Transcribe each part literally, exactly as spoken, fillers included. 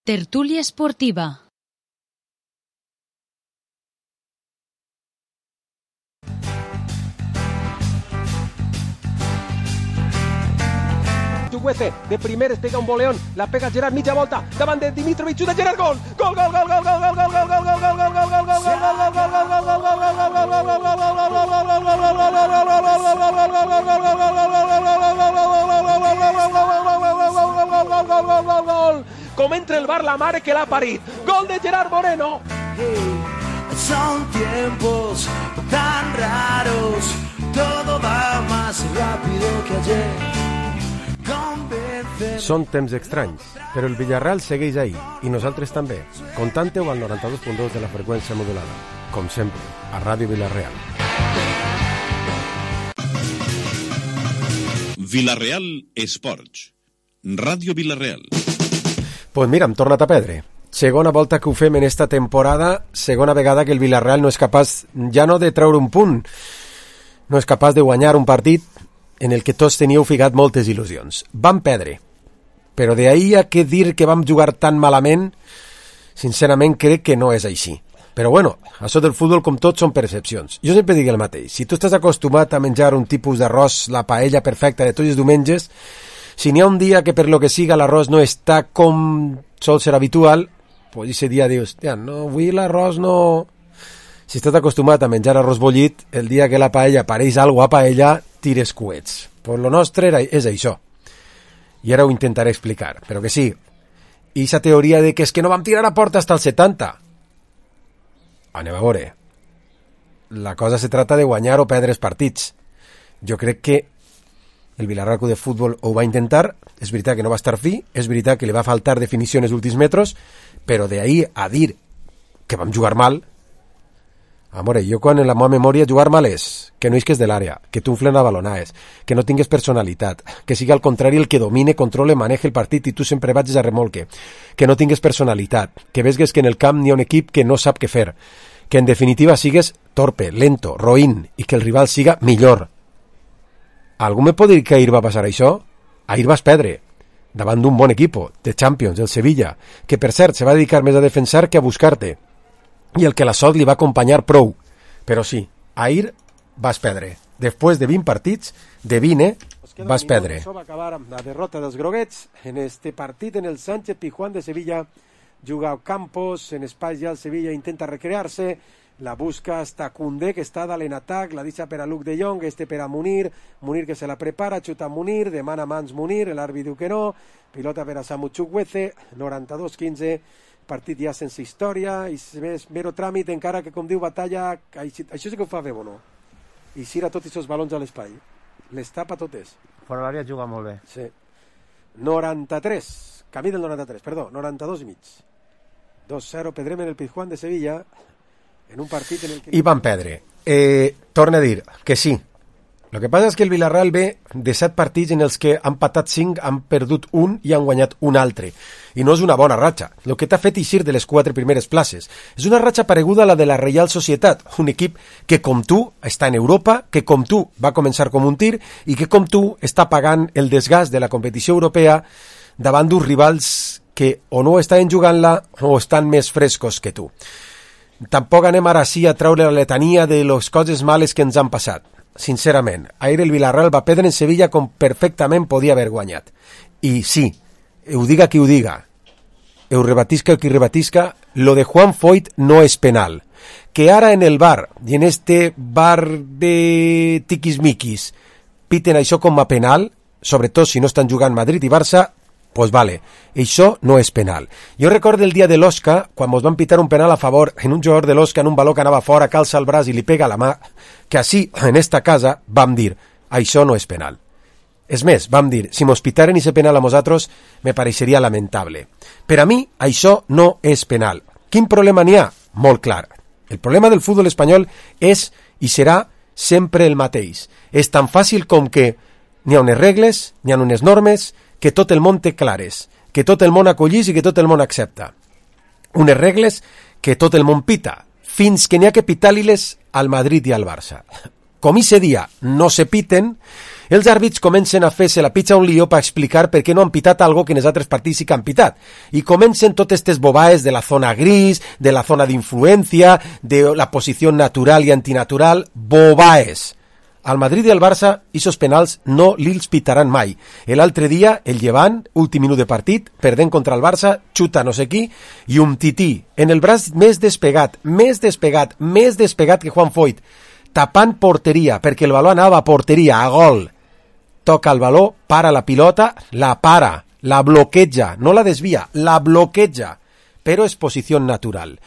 Tertúlia esportiva. Chuguete, de primeres pega un boleón, la pega Gerard, mitja volta, davant de Dimitrovic, xuta Gerard, gol! Gol, gol, gol, gol, gol, gol, gol, gol, gol, gol, gol, gol, gol, gol, gol, gol, com entra el bar la mare que l'ha parit, gol de Gerard Moreno. Son tiempos tan raros, todo va más rápido que ayer. Són temps estranys, però el Villarreal segueix ahí, i nosaltres també. Contante-ho al noranta-dos punt dos de la freqüència modulada. Com sempre, a Ràdio Villarreal. Villarreal Esports. Ràdio Villarreal. Pues mira, hem tornat a perdre. Segona volta que ho fem en esta temporada, segona vegada que el Villarreal no és capaç, ja no de treure un punt, no és capaç de guanyar un partit en el que tots teníeu ficat moltes il·lusions. Vam perdre, però d'ahir a que dir que vam jugar tan malament, sincerament crec que no és així. Però bueno, això del futbol com tot són percepcions. Jo sempre dic el mateix, si tu estàs acostumat a menjar un tipus d'arròs, la paella perfecta de tots els diumenges, si n'hi ha un dia que per lo que siga l'arròs no està com sol ser habitual, pues ese dia dius, hòstia, no, avui l'arròs no... Si estàs acostumat a menjar arròs bullit, el dia que la paella pareix alguna a paella, tires coets. Pues lo nostre era, és això. I ara ho intentaré explicar, però que sí. I aquesta teoria de que és que no vam tirar a porta hasta el setanta. Anem a veure. La cosa se trata de guanyar o perdre els partits. Jo crec que el Villarreal Club de Futbol ho va intentar, és veritat que no va estar fi, és veritat que li va faltar definició en els últims metres, però d'ahir a dir que vam jugar mal... Amore, jo quan en la meva memòria jugar mal és que no isques de l'àrea, que t'unflen a balonades, que no tingues personalitat, que sigui al contrari el que domine, controle, maneje el partit i tu sempre vagis a remolque, que no tingues personalitat, que vegues que en el camp n'hi ha un equip que no sap què fer, que en definitiva sigues torpe, lento, roïn i que el rival siga millor. Algú me pot dir que ahir va passar això? Ahir vas perdre davant d'un bon equip de Champions, el Sevilla, que per cert se va dedicar més a defensar que a buscar-te, i el que la sort li va acompanyar prou. Però sí, ahir vas perdre. Després de vint partits, de vint, eh, vas perdre. Això va acabar amb la derrota dels groguets en este partit en el Sánchez Pizjuán de Sevilla. Juga Campos, en espai ja el Sevilla intenta recrear-se, la busca hasta Koundé, que està dalt en atac, la deixa per a Luke de Jong, este per a Munir, Munir que se la prepara, xuta Munir, demana mans Munir, l'àrbitre diu que no, pilota per a Samu Chukwueze, noranta-dos quinze, partit ja sense història i més mero tràmit, encara que com diu Batalla, això sí que ho fa bé, no? I xira tots aquests balons a l'espai, les tapa totes. Fora l'àrea juga molt bé. Sí. noranta-tres, camí del noranta-tres, perdó, noranta-dos i mig. dos zero, perdrem en el Pizjuán de Sevilla en un partit en el que... I van perdre. Eh, torna a dir que sí. El que passa és que el Villarreal ve de set partits en els que han patat cinc, han perdut un i han guanyat un altre. I no és una bona ratxa. El que t'ha fet eixir de les quatre primeres places. És una ratxa pareguda a la de la Reial Societat, un equip que com tu està en Europa, que com tu va començar com un tir i que com tu està pagant el desgast de la competició europea davant d'uns rivals que o no estan jugant-la o estan més frescos que tu. Tampoc anem ara sí a treure la letania de les coses males que ens han passat. Sincerament, ahir el Villarreal va perdre en Sevilla com perfectament podia haver guanyat. I sí, ho diga qui ho diga, ho rebatisca el qui rebatisca, lo de Juan Foyt no és penal. Que ara en el bar, i en este bar de tiquismiquis, piten això com a penal, sobretot si no estan jugant Madrid i Barça, pues vale, això no és penal. Jo recordo el dia de l'Osca, quan mos van pitar un penal a favor en un jugador de l'Osca en un baló que anava fora, calça el braç i li pega la mà, que així, en esta casa, vam dir, això no és penal. És més, vam dir, si mos pitaren i se penal a nosaltres, me pareixeria lamentable. Per a mi, això no és penal. Quin problema n'hi ha? Molt clar. El problema del futbol espanyol és i serà sempre el mateix. És tan fàcil com que n'hi ha unes regles, n'hi ha unes normes, que tot el món té clares, que tot el món acollís i que tot el món accepta. Unes regles que tot el món pita, fins que n'hi ha que pitar-li-les al Madrid i al Barça. Com ese dia no se piten, Els àrbits comencen a fer-se la pitxa un lío per explicar per què no han pitat algo que en els altres partits sí que han pitat. I comencen totes aquestes bobaes de la zona gris, de la zona d'influència, de la posició natural i antinatural, bobaes. Al Madrid i al Barça, aquests penals no li'ls pitaran mai. L'altre dia, el Llevant, últim minut de partit, perdent contra el Barça, xuta no sé qui, i un tití, en el braç més despegat, més despegat, més despegat que Juan Foyt, tapant porteria, perquè el baló anava a porteria, a gol. Toca el baló, para la pilota, la para, la bloqueja, no la desvia, la bloqueja, però és posició natural.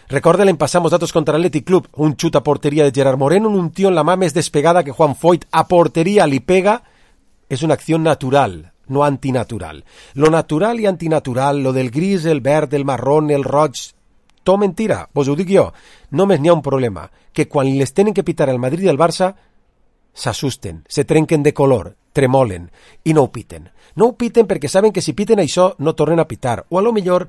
Recorda l'any passat nosaltres contra l'Athletic Club, un xut a porteria de Gerard Moreno, un tío en la mà més despegada que Juan Foyt, a porteria li pega, és una acció natural, no antinatural. Lo natural i antinatural, lo del gris, el verd, el marrón, el roig, tot mentira, vos ho dic jo, només n'hi ha un problema, que quan les tenen que pitar el Madrid i el Barça, s'assusten, se trenquen de color, tremolen, i no ho piten. No ho piten perquè saben que si piten això no tornen a pitar, o a lo millor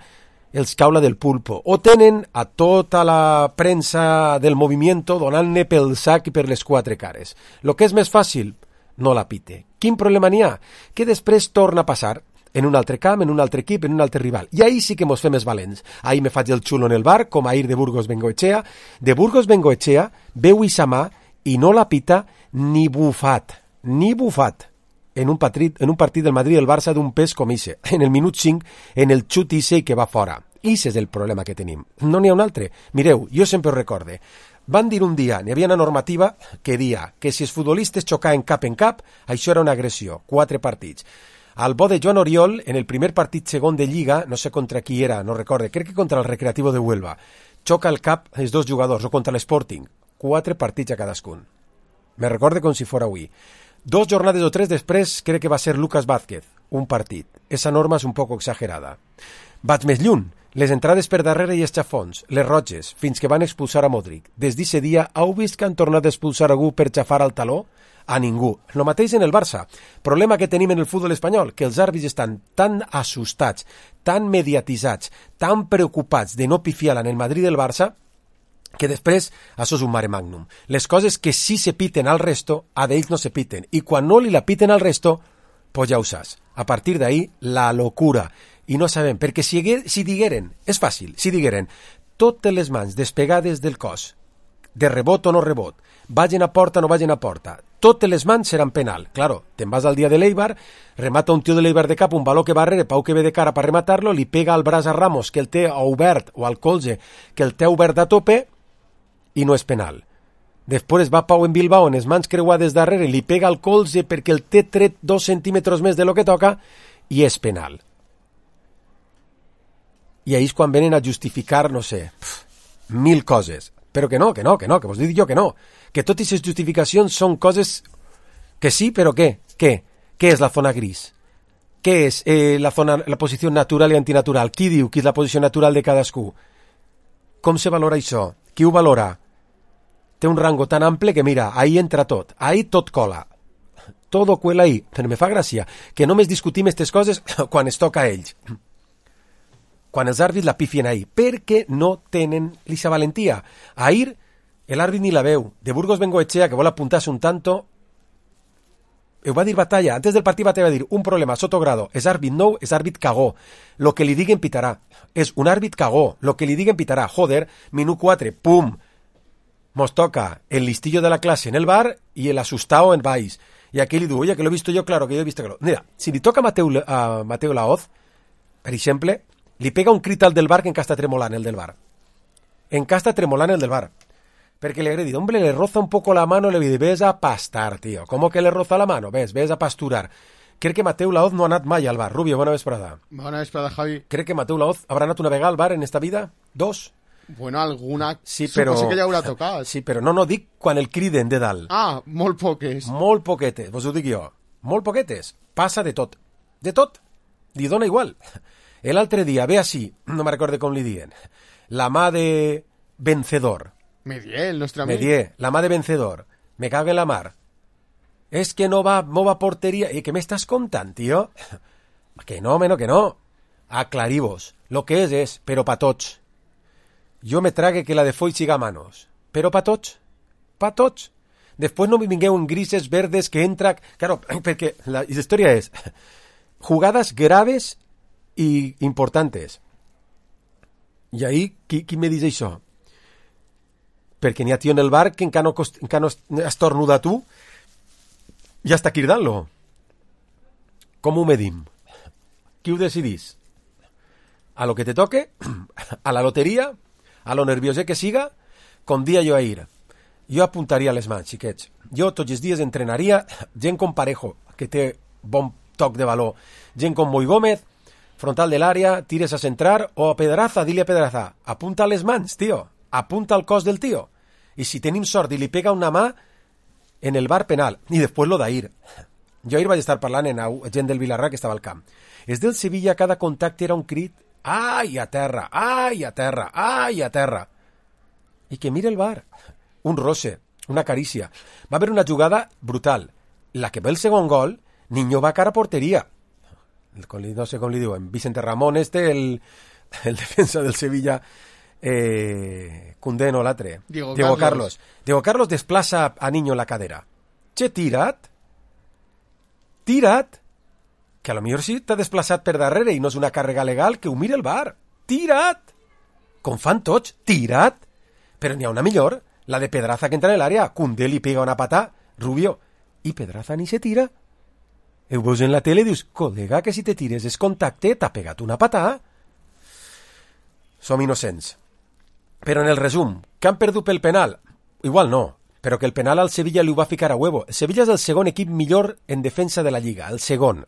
els caula del pulpo, o tenen a tota la premsa del movimiento donant-ne pel sac i per les quatre cares. Lo que és més fàcil, no la pite. Quin problema n'hi ha? Que després torna a passar en un altre camp, en un altre equip, en un altre rival. I ahí sí que mos fem més valents. Ahí me faig el xulo en el bar, com ahir de Burgos Bengoechea. De Burgos Bengoechea veu ixa mà i no la pita ni bufat, ni bufat. En un, partit, en un partit del Madrid i el Barça d'un pes com ixe, en el minut cinc, en el xut ixe que va fora. Ixe és el problema que tenim. No n'hi ha un altre. Mireu, jo sempre ho recorde. Van dir un dia, n'hi havia una normativa que dia que si els futbolistes xocaven cap en cap, això era una agressió. Quatre partits. Al bo de Joan Oriol, en el primer partit segon de Lliga, no sé contra qui era, no recorde, crec que contra el Recreativo de Huelva, xoca el cap els dos jugadors, o contra l'Sporting. Quatre partits a cadascun. Me recorde com si fora avui. Dos jornades o tres després crec que va ser Lucas Vázquez, un partit. Esa norma és un poc exagerada. Vaig més lluny. Les entrades per darrere i els xafons, les roges, fins que van expulsar a Modric. Des d'aquest dia, heu vist que han tornat a expulsar algú per xafar al taló? A ningú. Lo mateix en el Barça. Problema que tenim en el futbol espanyol, que els àrbits estan tan assustats, tan mediatitzats, tan preocupats de no pifiar en el Madrid i el Barça, que després, això és un mare magnum. Les coses que sí se piten al resto, a d'ells no se piten. I quan no li la piten al resto, pues ja ho saps. A partir d'ahí, la locura. I no sabem, perquè si, si digueren, és fàcil, si digueren, totes les mans despegades del cos, de rebot o no rebot, vagin a porta o no vagin a porta, totes les mans seran penal. Claro, te'n vas al dia de l'Eibar, remata un tio de l'Eibar de cap, un baló que va rere, Pau que ve de cara per rematar-lo, li pega al braç a Ramos, que el té obert, o al colze, que el té obert a tope, i no és penal. Després va Pau en Bilbao en les mans creuades darrere, li pega al colze perquè el té tret dos centímetres més de lo que toca i és penal. I ahí és quan venen a justificar, no sé, pf, mil coses. Però que no, que no, que no, que vos dic jo que no. Que totes les justificacions són coses que sí, però què? Què? Què és la zona gris? Què és eh, la, zona, la posició natural i antinatural? Qui diu que és la posició natural de cadascú? Com se valora això? Qui ho valora? Té un rango tan ample que, mira, ahí entra tot. Ahí tot cola. Todo cuela ahí. Però me fa gràcia que només discutim aquestes coses quan es toca a ells. Quan els àrbits la pifien ahí. Perquè no tenen lixa valentia. Ahir, l'àrbit ni la veu. De Burgos Bengoechea, que vol apuntar-se un tanto, ho va dir Batalla. Antes del partit Batalla va dir un problema, Sotogrado. És àrbit nou, és àrbit cagó. Lo que li diguen pitarà. És un àrbit cagó. Lo que li diguen pitarà. Joder, minut quatre, pum. Mos toca el listillo de la clase en el bar y el asustado en Baix. Y aquí le digo, oye, que lo he visto yo, claro, que yo he visto que lo... Mira, si li toca a Mateu, a Mateu Laoz, per exemple, li pega un crit al del bar que encara està tremolant el del bar. Encara està tremolant el del bar. Perquè le agredi, hombre, le roza un poco la mano, le dice, ves a pastar, tío. ¿Cómo que le roza la mano? Ves, ves a pasturar. Crec que Mateu Laoz no ha anat mai al bar. Rubio, bona vesprada. Bona vesprada, Javi. Crec que Mateu Laoz habrà anat una vegada al bar en esta vida? Dos? Bueno, alguna... Sí, però... Suposo que ja haurà tocat. Sí, però no, no, dic quan el criden de dalt. Ah, molt poques. Molt poquetes, vos ho dic jo. Molt poquetes. Passa de tot. De tot. Li dona igual. L'altre dia, ve així, no me recorde com li diuen, la mà de vencedor. Medier, el nostre amic. Medier, la mà de vencedor. Me cago en la mar. És que no va, no va a porteria. I què m'estàs contant, tio? Que no, meno, que no. Aclarivos. Lo que és, és, però pa tots. Jo me trague que la de Foyt siga a manos. Però pa tots. Pa tots. Després no me vingueu en grises, verdes, que entra... Claro, perquè la història és jugades graves i importantes. I ahí, qui, qui me dice això? Perquè n'hi ha tio en el bar que encara no, cost, encara no estornuda tu i està cridant-lo. Com ho medim? Qui ho decidís? A lo que te toque, a la loteria, a lo nerviós que siga, com dia jo a ir. Jo apuntaria les mans, xiquets. Jo tots els dies entrenaria gent com Parejo, que té bon toc de valor. Gent com Moi Gómez, frontal de l'àrea, tires a centrar, o a Pedraza, dile a Pedraza, apunta les mans, tio, apunta el cos del tio. I si tenim sort i li pega una mà, en el bar penal. I després lo d'ahir. Jo ahir vaig estar parlant amb gent del Vilarrà que estava al camp. És del Sevilla, cada contacte era un crit, ai, a terra, ai, a terra, ai, a terra. I que mira el bar. Un roce, una carícia. Va haver una jugada brutal. La que ve el segon gol, Niño va cara a porteria. El, no sé com li diuen, Vicente Ramón este, el, el defensa del Sevilla, eh, Koundé no l'altre. Diego, Diego Carlos. Carlos. Diego Carlos desplaça a Niño en la cadera. Che, tira't. Tira't. Que a lo millor sí t'ha desplaçat per darrere i no és una càrrega legal, que ho mira el bar. Tira't. Com fan tots, tira't. Però n'hi ha una millor, la de Pedraza que entra en l'àrea. Koundé li pega una patà, Rubio, i Pedraza ni se tira. Ho veus en la tele i dius, col·lega, que si te tires és contacte, t'ha pegat una patà. Som innocents. Però en el resum, que han perdut pel penal? Igual no, però que el penal al Sevilla li ho va ficar a huevo. El Sevilla és el segon equip millor en defensa de la Lliga, el segon.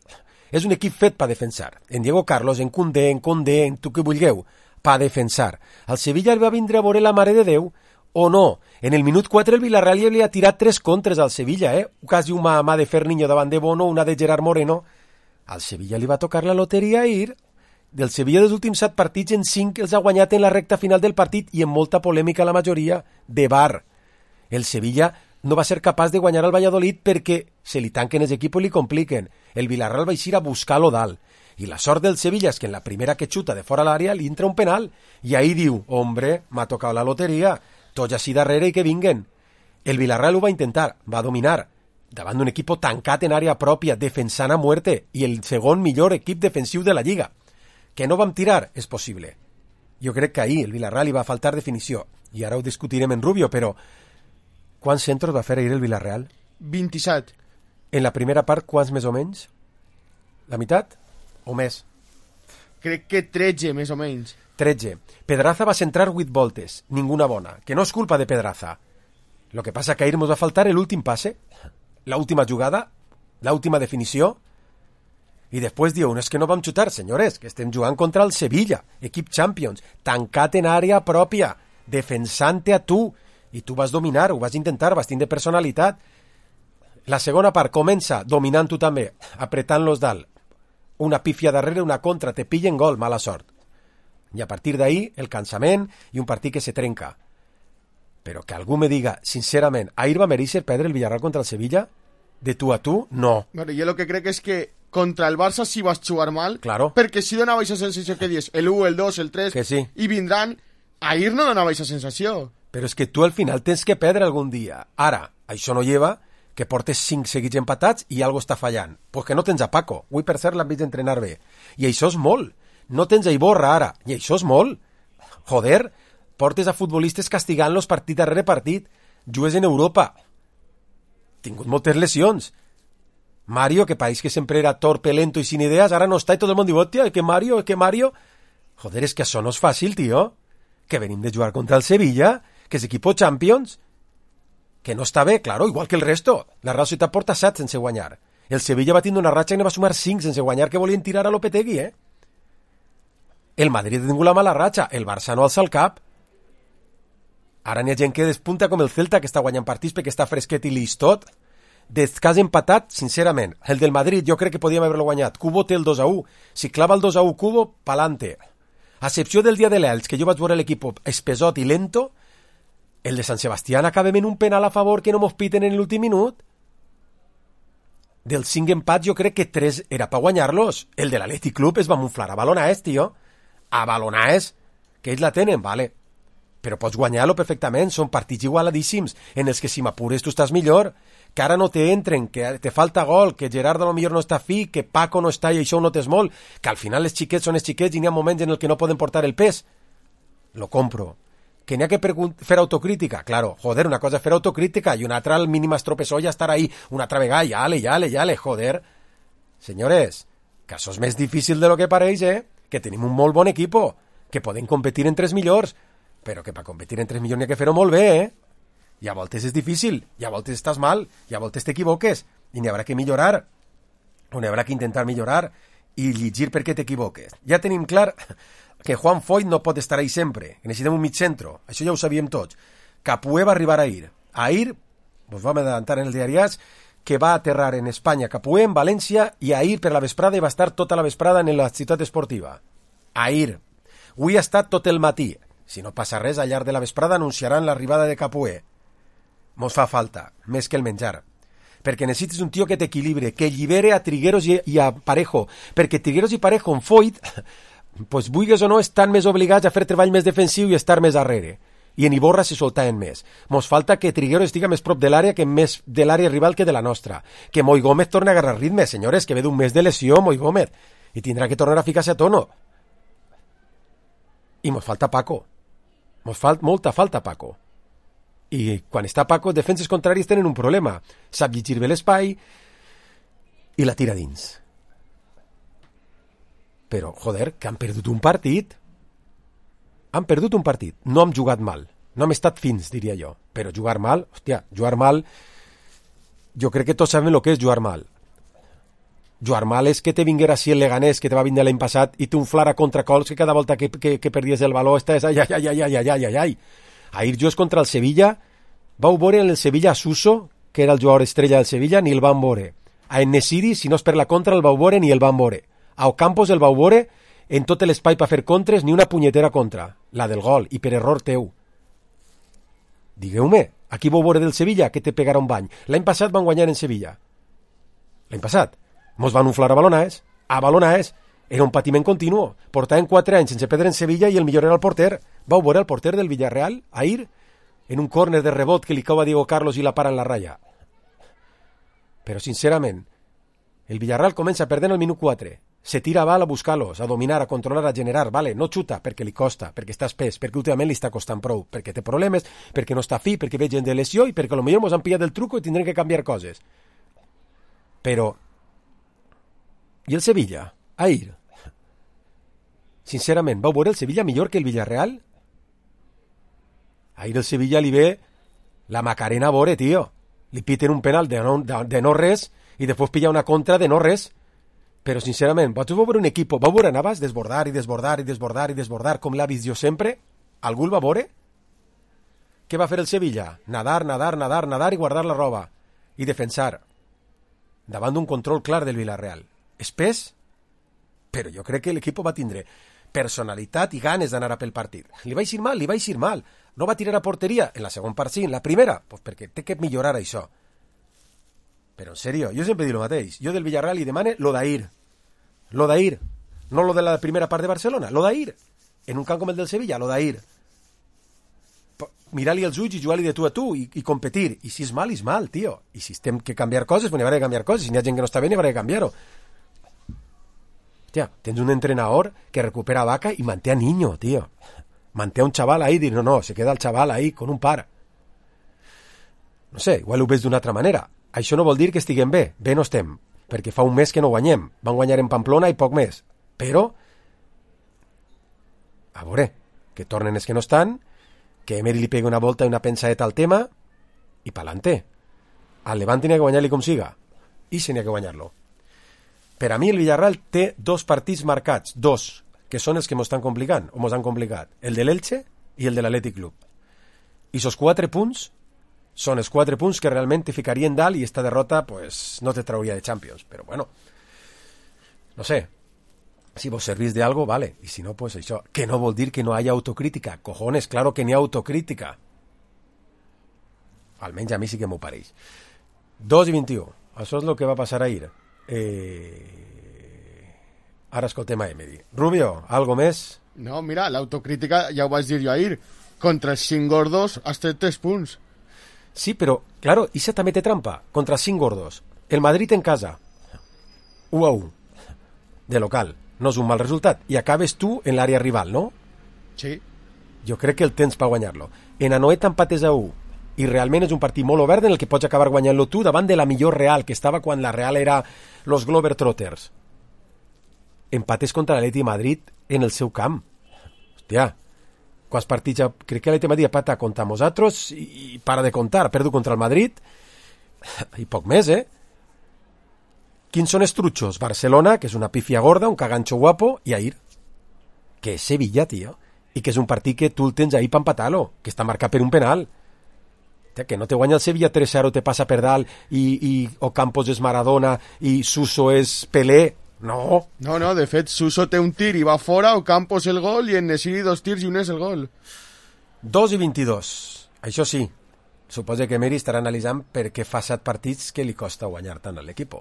És un equip fet per defensar. En Diego Carlos, en Koundé, en Condé, en tu que vulgueu, per defensar. Al Sevilla el va vindre a veure la Mare de Déu, o no. En el minut quatre el Villarreal li ha tirat tres contres al Sevilla, eh? Quasi una mà de Ferniño davant de Bono, una de Gerard Moreno. Al Sevilla li va tocar la loteria ir. Del Sevilla dels últims set partits, en cinc els ha guanyat en la recta final del partit i en molta polèmica la majoria de bar. El Sevilla no va ser capaç de guanyar al Valladolid perquè se li tanquen els equips i li compliquen. El Villarreal va eixir a buscar-lo dalt. I la sort del Sevilla és que en la primera que xuta de fora l'àrea li entra un penal. I ahí diu, hombre, m'ha tocat la loteria. Tots així darrere i que vinguen. El Villarreal ho va intentar, va dominar. Davant d'un equip tancat en àrea pròpia, defensant a muerte, i el segon millor equip defensiu de la Lliga. Que no vam tirar? És possible. Jo crec que ahir el Villarreal li va faltar definició. I ara ho discutirem en Rubio, però quants centros va fer ahir el Villarreal? vint-i-set. En la primera part, quants més o menys? La meitat? O més? Crec que tretze, més o menys. tretze. Pedraza va centrar vuit voltes. Ninguna bona. Que no és culpa de Pedraza. Lo que passa que ahir ens va faltar l'últim passe, l'última jugada, l'última definició. I després diu, no és que no vam xutar, senyores, que estem jugant contra el Sevilla, equip Champions, tancat en àrea pròpia, defensant-te a tu, i tu vas dominar, ho vas intentar, vas tindre personalitat. La segona part comença dominant tu també, apretant-los dalt. Una pífia darrere, una contra, te pillen gol, mala sort. I a partir d'ahí, el cansament i un partit que se trenca. Però que algú me diga, sincerament, ahir va mereixer perdre el Villarreal contra el Sevilla? De tu a tu? No. Bueno, jo el que crec és que contra el Barça sí vas jugar mal, Claro. perquè si donava aquesta sensació que dius, el u, el dos, el tres, Que sí. i vindran, ahir no donava aquesta sensació. Però és que tu al final tens que perdre algun dia. Ara, això no lleva que portes cinc seguits empatats i algo està fallant. Pues que no tens a Paco. Avui, per cert, l'han vist entrenar bé. I això és molt. No tens a Iborra ara. I això és molt. Joder, portes a futbolistes castigant-los partit darrere partit. Jugues en Europa. Tingut moltes lesions. Mario, que pareix que sempre era torpe, lento i sin idees, ara no està i tot el món diu, hòstia, que Mario, que Mario... Joder, és que això no és fàcil, tio. Que venim de jugar contra el Sevilla, que és equipo Champions, que no està bé, claro, igual que el resto. La Real Societat porta set sense guanyar. El Sevilla va tindre una ratxa que ne va sumar cinc sense guanyar, que volien tirar a Lopetegui, eh? El Madrid ha tingut la mala ratxa, el Barça no alça el cap. Ara n'hi ha gent que despunta com el Celta, que està guanyant partits perquè està fresquet i lis tot. Des cas empatat, sincerament, el del Madrid jo crec que podíem haver-lo guanyat. Cubo té el dos a u. Si clava el dos a u Cubo, pa'lante. A excepció del dia de l'Elx, que jo vaig veure l'equip espesot i lento, el de Sant Sebastián acabem en un penal a favor que no mos piten en l'últim minut. Dels cinc empats jo crec que tres era per guanyar-los. El de l'Atlètic Club es va munflar a balonades, tio. A balonades, que ells la tenen, vale. però pots guanyar-lo perfectament, són partits igualadíssims, en els que si m'apures tu estàs millor, que ara no te entren, que te falta gol, que Gerardo a lo millor no està fi, que Paco no està i això ho notes molt, que al final els xiquets són els xiquets i n'hi ha moments en el que no poden portar el pes. Lo compro. Que n'hi ha que fer autocrítica, claro, joder, una cosa és fer autocrítica i una altra al mínim estropesó ja estar ahí una altra vegada, i ale, i ale, i ale, joder. Senyores, que això és més difícil de lo que pareix, eh? Que tenim un molt bon equipo, que poden competir en tres millors, però que per competir en tres millors n'hi ha que fer-ho molt bé, eh? I a voltes és difícil, i a voltes estàs mal, i a voltes t'equivoques, i n'hi haurà que millorar, o n'hi haurà que intentar millorar, i llegir per què t'equivoques. Ja tenim clar que Juan Foyt no pot estar ahí sempre, que necessitem un mig centro, això ja ho sabíem tots. Capué va arribar a ir. A ir, vos vam adelantar en els diariats, que va aterrar en Espanya, Capué, en València, i a ir per la vesprada i va estar tota la vesprada en la ciutat esportiva. A ir. Avui ha estat tot el matí. Si no passa res, al llarg de la vesprada anunciaran l'arribada de Capué. Mos fa falta, més que el menjar. Perquè necessites un tio que t'equilibre, que llibere a Trigueros i, i a Parejo. Perquè Trigueros i Parejo en Foyt, pues vulgues o no, estan més obligats a fer treball més defensiu i estar més darrere. I en Iborra se soltaven més. Mos falta que Trigueros estiga més prop de l'àrea que més de l'àrea rival que de la nostra. Que Moi Gómez torni a agarrar ritme, senyores, que ve d'un mes de lesió, Moi Gómez. I tindrà que tornar a ficar-se a tono. I mos falta Paco. Mos falta molta falta Paco. I quan està Paco, defenses contraris tenen un problema. Sap llegir bé l'espai i la tira dins. Però, joder, que han perdut un partit. Han perdut un partit. No hem jugat mal. No hem estat fins, diria jo. Però jugar mal, hòstia, jugar mal... Jo crec que tots sabem el que és jugar mal. Jugar mal és que te vinguera així el Leganés, que te va vindre l'any passat, i t'unflara contracols que cada volta que, que, que perdies el baló estàs... Ai, ai, ai, ai, ai, ai, ai, ai. Ahir jo és contra el Sevilla, vau veure en el Sevilla a Suso, que era el jugador estrella del Sevilla, ni el van veure. A Enesiri, si no és per la contra, el vau veure ni el van veure. A Ocampos el vau veure en tot l'espai per fer contres, ni una punyetera contra, la del gol, i per error teu. Digueu-me, aquí vau veure del Sevilla que te pegarà un bany. L'any passat van guanyar en Sevilla. L'any passat. Mos van unflar a Balonaes. A Balonaes. Era un patiment continu. Portaven quatre anys sense perdre en Sevilla i el millor era el porter. Vau veure el porter del Villarreal, ahir, en un córner de rebot que li cau a Diego Carlos i la para en la ratlla. Però, sincerament, el Villarreal comença perdent el minut quatre. Se tira a bal a buscar-los, a dominar, a controlar, a generar. Vale, no xuta perquè li costa, perquè està espès, perquè últimament li està costant prou, perquè té problemes, perquè no està fi, perquè ve gent de lesió i perquè potser mos han pillat el truco i tindrem que canviar coses. Però... I el Sevilla? Ahir? Sincerament, vau veure el Sevilla millor que el Villarreal? Ahir el Sevilla li ve la Macarena a veure, tio. Li piten un penal de no, de, de no res i després pilla una contra de no res. Però, sincerament, vosaltres vau veure un equip, vau veure anaves desbordar i desbordar i desbordar i desbordar com l'ha vist jo sempre? Algú el va veure? Què va fer el Sevilla? Nadar, nadar, nadar, nadar i guardar la roba. I defensar. Davant d'un control clar del Villarreal. Espès? Però jo crec que l'equip va tindre personalitat i ganes d'anar a pel partit. Li va eixir mal, li va eixir mal. No va tirar a porteria en la segona part, sí, en la primera, pues perquè té que millorar això. Però en sèrio, jo sempre dic el mateix. Jo del Villarreal li demane lo d'ahir. Lo d'ahir. No lo de la primera part de Barcelona, lo d'ahir. En un camp com el del Sevilla, lo d'ahir. Mirar-li els ulls i jugar-li de tu a tu i, i competir. I si és mal, és mal, tio. I si estem que canviar coses, pues n'hi haurà que canviar coses. Si n'hi ha gent que no està bé, n'hi haurà que canviar-ho. Hòstia, tens un entrenador que recupera a Vaca i manté a Niño, tío. Manté a un chaval ahí i dir, no, no, se queda el chaval ahí con un par. No sé, igual ho ves d'una altra manera. Això no vol dir que estiguem bé. Bé no estem, perquè fa un mes que no guanyem. Van guanyar en Pamplona i poc més. Però, a veure, que tornen els que no estan, que Emery li pegui una volta i una pensadeta al tema, i pa'lante. Al Levante n'hi ha que guanyar-li com siga. I se n'hi ha que guanyar-lo. Per a mi el Villarreal té dos partits marcats, dos, que són els que mos estan complicant, o mos han complicat, el de l'Elche i el de l'Atlètic Club. I esos quatre punts són els quatre punts que realment te ficarien dalt i esta derrota pues, no te trauria de Champions. Però bueno, no sé, si vos servís de algo, vale, i si no, pues això, que no vol dir que no haya autocrítica, cojones, claro que n'hi ha autocrítica. Almenys a mi sí que m'ho pareix. dos i vint-i-u, això és el que va passar ahir. Eh... Ara escoltem a Emery. Rubio, algo més? No, mira, l'autocrítica ja ho vaig dir jo ahir. Contra els cinc gordos has tret tres punts. Sí, però, claro, Isa també té trampa. Contra els cinc gordos. El Madrid en casa. u a u. De local. No és un mal resultat. I acabes tu en l'àrea rival, no? Sí. Jo crec que el tens per guanyar-lo. En Anoeta empates a u. I realment és un partit molt obert en el que pots acabar guanyant-lo tu davant de la millor Real, que estava quan la Real era los Globetrotters. Empates contra l'Atleti Madrid en el seu camp. Hòstia, quants partits... Ja... Crec que l'Atleti Madrid pata contra nosaltres i, i para de comptar. Ha perdut contra el Madrid i poc més, eh? Quins són els trutxos? Barcelona, que és una pífia gorda, un caganxo guapo, i ahir, que és Sevilla, tio, i que és un partit que tu el tens ahir per empatar-lo, que està marcat per un penal. Que no te guanya el Sevilla tres a zero, te passa per dalt i, i Ocampos és Maradona i Suso és Pelé. No. No, no, de fet, Suso té un tir i va fora, Ocampos el gol i en Nesiri dos tirs i un és el gol. dos i vint-i-dos. Això sí, suposo que Emery estarà analitzant per què fa set partits que li costa guanyar tant a l'equip,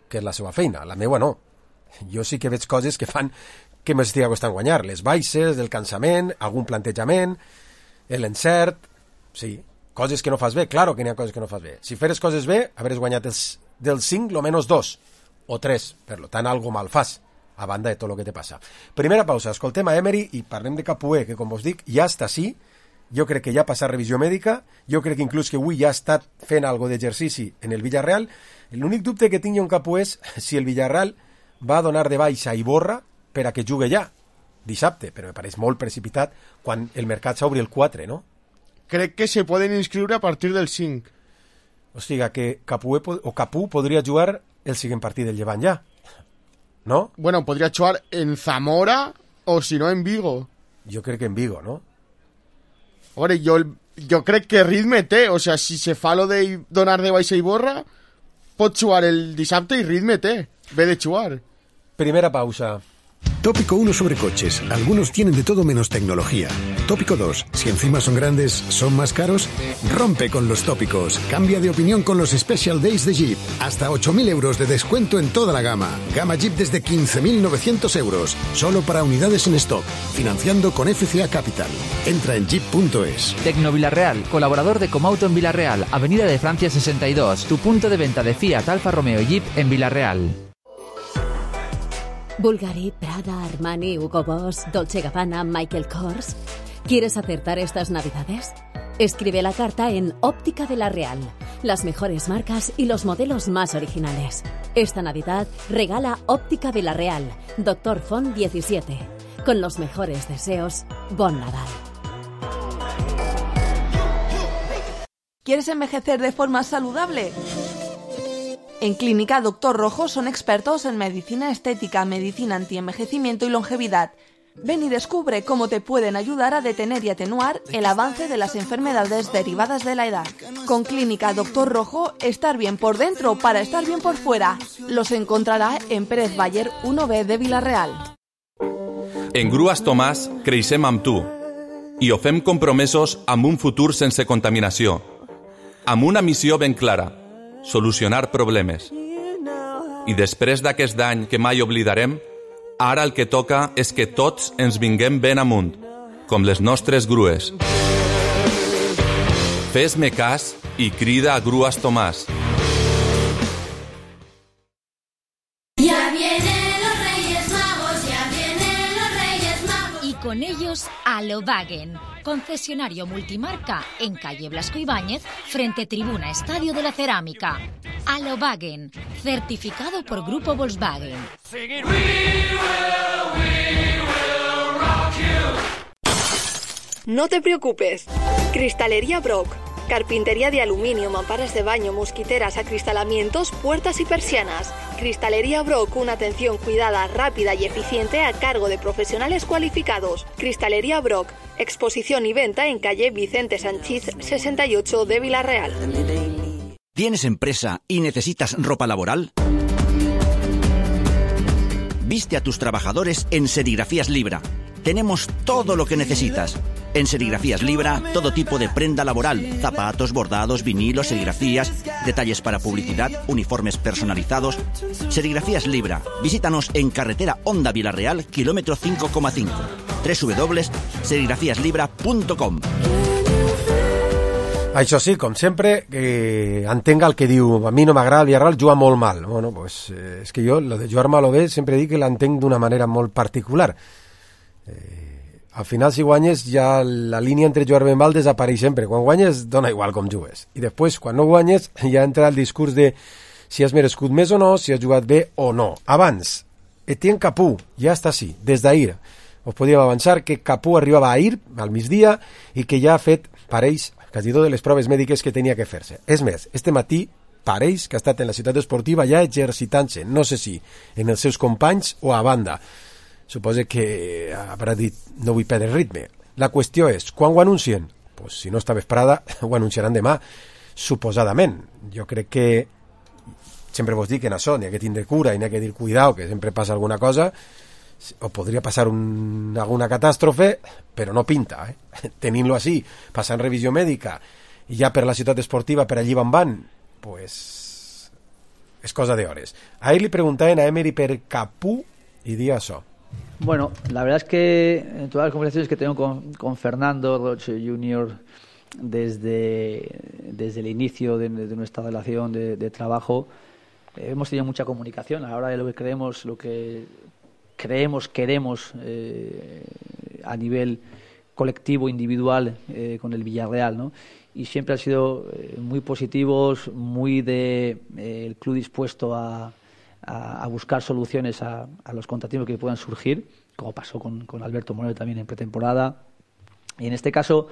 que és la seva feina, la meua no. Jo sí que veig coses que fan que m'estigui costant guanyar, les baixes, el cansament, algun plantejament, l'encert, sí, coses que no fas bé, claro que n'hi ha coses que no fas bé. Si feres coses bé, haveres guanyat els, del cinc, lo menos dos, o tres, per tant, algo mal fas, a banda de tot el que te passa. Primera pausa, escoltem a Emery i parlem de Capué, que com vos dic, ja està així, jo crec que ja ha passat revisió mèdica, jo crec que inclús que avui ja ha estat fent algo d'exercici en el Villarreal. L'únic dubte que tinc jo en Capué és si el Villarreal va donar de baixa a Iborra per a que jugui ja, dissabte, però me pareix molt precipitat quan el mercat s'obri el quatre, no? Crec que se poden inscriure a partir del cinc. O sigui, que Capué o Capú podria jugar el següent partit del Llevant ja, no? Bueno, podria jugar en Zamora o si no en Vigo. Jo crec que en Vigo, no? Ore, jo, jo crec que ritme té, o sea, si se fa lo de donar de baixa i borra, pot jugar el dissabte i ritme té, ve de jugar. Primera pausa. Tópico uno sobre coches. Algunos tienen de todo menos tecnología. Tópico dos. Si encima son grandes, ¿son más caros? Rompe con los tópicos. Cambia de opinión con los Special Days de Jeep. Hasta ocho mil euros de descuento en toda la gama. Gama Jeep desde quince mil novecientos euros. Solo para unidades en stock. Financiando con F C A Capital. Entra en jeep punto es. Tecno Villarreal, colaborador de Comauto en Villarreal. Avenida de Francia sesenta y dos. Tu punto de venta de Fiat, Alfa Romeo y Jeep en Villarreal. Bulgari, Prada, Armani, Hugo Boss, Dolce Gabbana, Michael Kors. ¿Quieres acertar estas navidades? Escribe la carta en Óptica de la Real. Las mejores marcas y los modelos más originales. Esta Navidad regala Óptica de la Real, Doctor Font diecisiete. Con los mejores deseos, Bon Nadal. ¿Quieres envejecer de forma saludable? En Clínica Doctor Rojo son expertos en medicina estética, medicina antienvejecimiento y longevidad. Ven y descubre cómo te pueden ayudar a detener y atenuar el avance de las enfermedades derivadas de la edad. Con Clínica Doctor Rojo, estar bien por dentro para estar bien por fuera. Los encontrará en Pérez Bayer uno B de Vilareal. En Grues Tomàs creixem amb tu i ho fem compromesos amb un futur sense contaminació, amb una missió ben clara: solucionar problemes. I després d'aquest any que mai oblidarem, ara el que toca és que tots ens vinguem ben amunt, com les nostres grues. Fes-me cas i crida a Grues Tomàs. Ya vienen los Reyes Magos, ya vienen los Reyes Magos. Y con ellos a Volkswagen, concesionario multimarca en calle Blasco Ibáñez, frente Tribuna Estadio de la Cerámica. A Volkswagen, certificado por Grupo Volkswagen. No te preocupes. Cristalería Brock. Carpintería de aluminio, mamparas de baño, mosquiteras, acristalamientos, puertas y persianas. Cristalería Brock, una atención cuidada, rápida y eficiente a cargo de profesionales cualificados. Cristalería Brock, exposición y venta en calle Vicente Sanchís sesenta y ocho de Vilareal. ¿Tienes empresa y necesitas ropa laboral? Viste a tus trabajadores en Serigrafías Libra. Tenemos todo lo que necesitas. En Serigrafías Libra, todo tipo de prenda laboral, zapatos, bordados, vinilos, serigrafías, detalles para publicidad, uniformes personalizados. Serigrafías Libra. Visítanos en carretera Honda Vilareal, kilómetro cinco coma cinco. doble u doble u doble u punt serigrafías libra punt com. Això sí, com sempre, que entenga el que diu, a mi no m'agrada el Villarreal, juga molt mal. Bueno, pues, eh, és que jo, lo de jugar mal o bé, sempre dic que l'entenc d'una manera molt particular. Eh, al final, si guanyes, ja la línia entre jugar bé i mal desapareix sempre. Quan guanyes, dona igual com jugues. I després, quan no guanyes, ja entra el discurs de si has merescut més o no, si has jugat bé o no. Abans, Etienne Capú, ja està així, des d'ahir. Us podíem avançar que Capú arribava ahir, al migdia, i que ja ha fet, pareix, quasi totes les proves mèdiques que tenia que fer-se. És més, este matí pareix que ha estat en la ciutat esportiva ja exercitant-se, no sé si en els seus companys o a banda. Suposo que haurà dit no vull perdre ritme. La qüestió és, quan ho anuncien? Pues, si no està vesprada, ho anunciaran demà, suposadament. Jo crec que sempre vos dic que en això n'hi ha que tindre cura i n'hi ha que dir cuidao, que sempre passa alguna cosa, o podria passar un, alguna catàstrofe, però no pinta, eh? Tenint-lo així, passant revisió mèdica i ja per la ciutat esportiva, per allí van van, pues és cosa de hores. Ahir li preguntaven a Emery per Capú i dia això. Bueno, la verdad es que en todas las conversaciones que tengo con, con Fernando Roche junior desde, desde el inicio de, de nuestra relación de, de trabajo, eh, hemos tenido mucha comunicación a la hora de lo que creemos, lo que creemos, queremos eh, a nivel colectivo, individual, eh, con el Villarreal, ¿no? Y siempre han sido eh, muy positivos, muy de eh, el club dispuesto a, a, a buscar soluciones a, a los contratiempos que puedan surgir, como pasó con, con Alberto Moreno también en pretemporada. Y en este caso,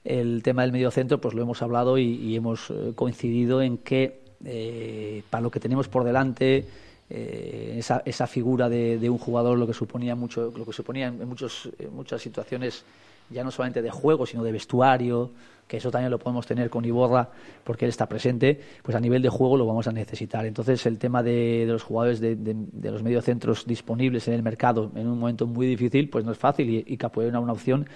el tema del mediocentro, pues lo hemos hablado y, y hemos eh, coincidido en que eh, para lo que tenemos por delante, Eh, esa, esa figura de, de un jugador lo que suponía mucho, lo que suponía en, muchos, en muchas situaciones ya no solamente de juego sino de vestuario, que eso también lo podemos tener con Iborra porque él está presente, pues a nivel de juego lo vamos a necesitar. Entonces el tema de, de los jugadores de, de, de los mediocentros disponibles en el mercado en un momento muy difícil pues no es fácil y, y Capoeira era una opción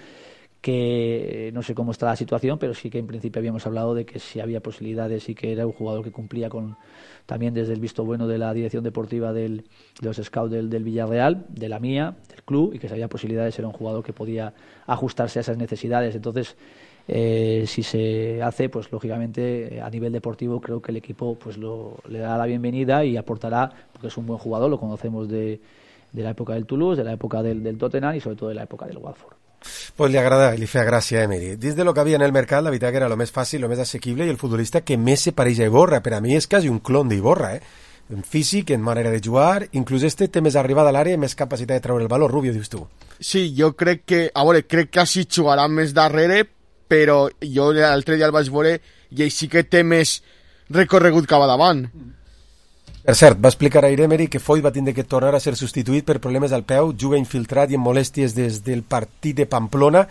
que no sé cómo está la situación, pero sí que en principio habíamos hablado de que si había posibilidades y que era un jugador que cumplía con también desde el visto bueno de la dirección deportiva del, de los scouts del, del Villarreal, de la mía, del club, y que si había posibilidades era un jugador que podía ajustarse a esas necesidades. Entonces, eh, si se hace, pues lógicamente a nivel deportivo creo que el equipo pues lo, le dará la bienvenida y aportará, porque es un buen jugador, lo conocemos de, de la época del Toulouse, de la época del, del Tottenham y sobre todo de la época del Watford. Pues li agrada, li feia gràcia a Emery. Dins de lo que havia en el mercat, la veritat que era lo més fàcil, lo més assequible, i el futbolista que més se pareix a Iborra. Per a mi és quasi un clon d'Iborra, eh? En físic, en manera de jugar, inclús este té més arribada a l'àrea i més capacitat de treure el valor. Rubio, dius tu? Sí, jo crec que, a veure, crec que així jugarà més darrere, però jo l'altre dia el vaig veure i ell sí que té més recorregut cap a davant. Per cert, va explicar a Emery que Foyt va tindre que tornar a ser substituït per problemes al peu, juga infiltrat i amb molèsties des del partit de Pamplona,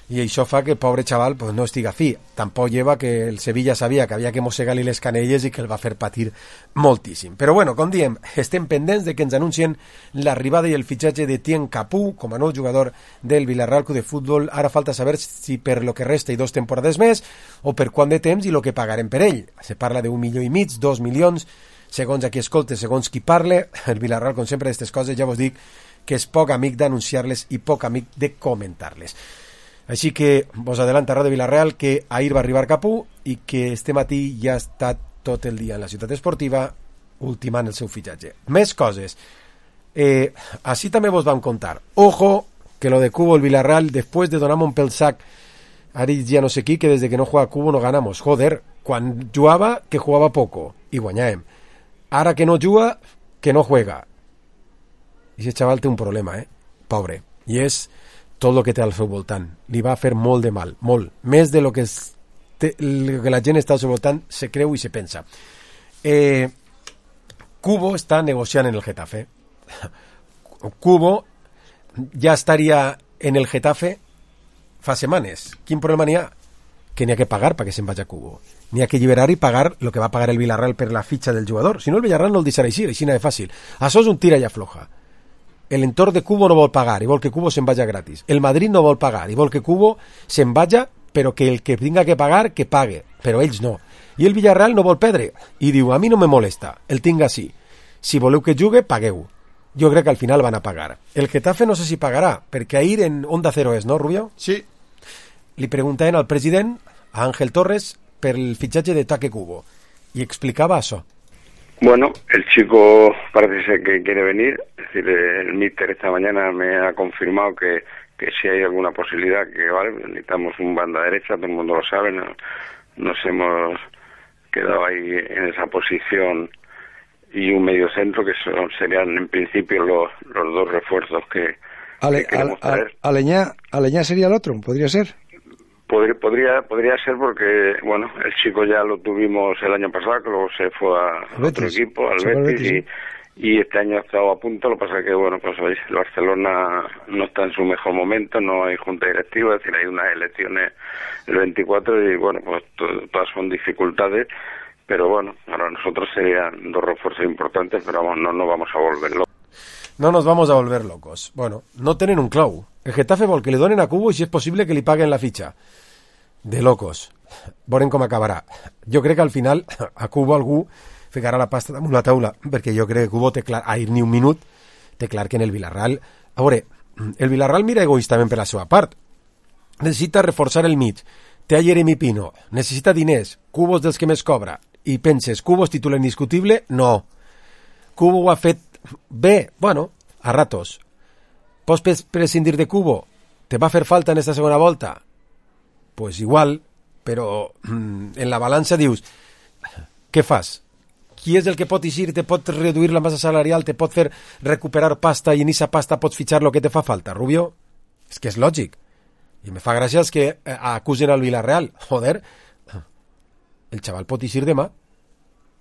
i això fa que el pobre xaval pues, no estiga fi. Tampoc lleva que el Sevilla sabia que havia que mossegar-li les canelles i que el va fer patir moltíssim. Però bueno, com diem, estem pendents de que ens anuncien l'arribada i el fitxatge de Etienne Capú com a nou jugador del Villarreal Club de Futbol. Ara falta saber si per lo que resta i dos temporades més o per quant de temps i lo que pagarem per ell. Se parla d'un milió i mig, dos milions, segons a qui escolte, segons qui parle. El Villarreal, com sempre, d'aquestes coses, ja vos dic que és poc amic d'anunciar-les i poc amic de comentar-les. Així que vos adelanta Radio Villarreal que ahir va arribar Capú i que este matí ja ha estat tot el dia en la ciutat esportiva ultimant el seu fitxatge. Més coses. Eh, així també vos vam contar. Ojo, que lo de Cubo, el Villarreal, después de donar un pel sac a dit ja no sé qui, que desde que no juega Cubo no ganamos. Joder, quan jugava, que jugava poco i guanyàvem. Ara que no juga, que no juega. I aquest xaval té un problema, eh? Pobre. I és tot el que té al seu voltant. Li va fer molt de mal, molt. Més de lo que, es, té, lo que la gent està al seu voltant se creu i se pensa. Eh, Cubo està negociant en el Getafe. Cubo ja estaria en el Getafe fa setmanes. Quin problema n'hi ha? Que n'hi ha que pagar perquè se'n vagi a Cubo. N'hi ha que alliberar i pagar el que va pagar el Villarreal per la fitxa del jugador. Si no, el Villarreal no el deixarà així, així de fàcil. Això és un tira i afloja. El entorn de Cubo no vol pagar i vol que Cubo se'n vagi gratis. El Madrid no vol pagar i vol que Cubo se'n vagi, però que el que tinga que pagar, que pague. Però ells no. I el Villarreal no vol perdre. I diu, a mi no me molesta, el tinc així. Si voleu que jugue, pagueu. jo crec que al final van a pagar. El Getafe no sé si pagarà, perquè ahir en Onda Cero és, no, Rubio? Sí. Li preguntaven al president, a Ángel Torres, per el fitxatge de Take Kubo, y explicaba eso. Bueno, el chico parece ser que quiere venir, es decir, el míster esta mañana me ha confirmado que, que si hay alguna posibilidad, que vale, necesitamos un banda derecha, todo el mundo lo sabe, no, nos hemos quedado ahí en esa posición, y un medio centro que son, serían en principio los, los dos refuerzos que, Ale, que queremos a, a, traer. Aleñá, Aleñá sería el otro, podría ser. Podría, podría, podría ser porque, bueno, el chico ya lo tuvimos el año pasado, que luego se fue a Betis. otro equipo, al Se fue al Betis, Betis, y, y este año ha estado a punto. Lo que pasa es que, bueno, pues veis, el Barcelona no está en su mejor momento, no hay junta directiva, es decir, hay unas elecciones el veinticuatro y, bueno, pues to- todas son dificultades, pero bueno, para nosotros serían dos refuerzos importantes, pero vamos, no nos vamos a volver locos. No nos vamos a volver locos. Bueno, no tenen un clau. El Getafe vol que li donen a Kubo i si és possible que li paguen la fitxa. De locos. Veurem com acabarà. Jo crec que al final a Kubo algú ficarà la pasta damunt la taula, perquè jo crec que Kubo té clar, ahir ni un minut, té clar que en el Villarreal... A veure, el Villarreal mira egoístament per la seva part. Necessita reforçar el mig. Té a Jeremy Pino. Necessita diners. Kubo és dels que més cobra. I penses, Kubo és titular indiscutible? No. Kubo ho ha fet bé, bueno, a ratos. Pots prescindir de Kubo? Te va fer falta en esta segona volta? Pues igual, però mm, en la balança dius, què fas? Qui és el que pot eixir, te pot reduir la massa salarial, te pot fer recuperar pasta i en aquesta pasta pots fitxar el que te fa falta, Rubio? És que és lògic. I me fa gràcia els que eh, acusen al Villarreal. Joder, el xaval pot eixir demà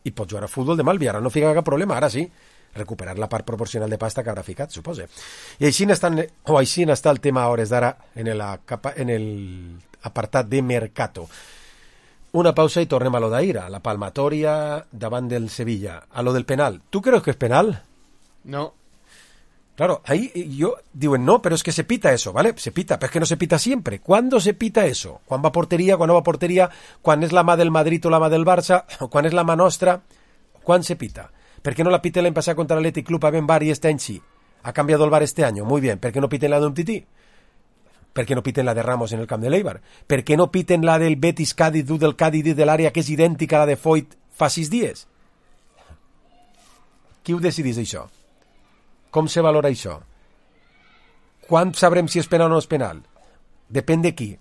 i pot jugar a futbol demà, el Villarreal no fica cap problema, ara sí. Recuperar la part proporcional de pasta que haurà ficat, supose. I així està, o així està el tema a hores d'ara en el, en el apartat de Mercato. Una pausa i tornem a lo d'ahir, a la palmatòria davant del Sevilla, a lo del penal. ¿Tú crees que es penal? No. Claro, ahí yo diuen no, pero es que se pita eso, ¿vale? Se pita, pero es que no se pita siempre. ¿Cuándo se pita eso? ¿Quan va a porteria, quan no va a porteria? ¿Quan és la mà del Madrid o la mà del Barça? ¿Quan és la mà nostra? ¿Quan se pita? ¿Por qué no la piten l'any passat contra l'Athletic Club a Ben Bar y este any sí? ¿Ha cambiado el VAR este año? Muy bien. ¿Por qué no piten la de Umtiti? ¿Por qué no piten la de Ramos en el camp de l'Eibar? ¿Por qué no piten la del Betis Cádiz, du del Cádiz de l'àrea que és idèntica a la de Foyt fa sis dies? Qui ho decidís això? Com se valora això? Quan sabrem si és penal o no és penal? Depèn de qui?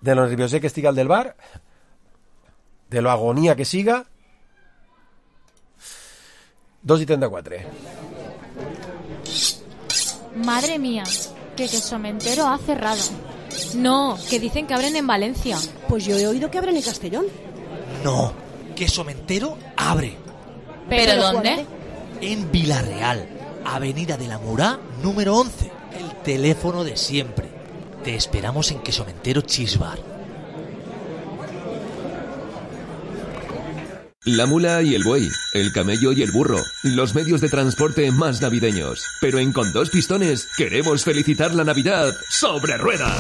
De lo nerviosé que estiga el del VAR? De lo agonia que siga? dos y treinta y cuatro. Madre mía, que Quesomentero ha cerrado. No, que dicen que abren en Valencia. Pues yo he oído que abren en Castellón. No, Quesomentero abre. ¿Pero dónde? En Villarreal, Avenida de la Murá, número once. El teléfono de siempre. Te esperamos en Quesomentero Cheese Bar. La mula y el buey, el camello y el burro, los medios de transporte más navideños. Pero en Con Dos Pistones queremos felicitar la Navidad sobre ruedas.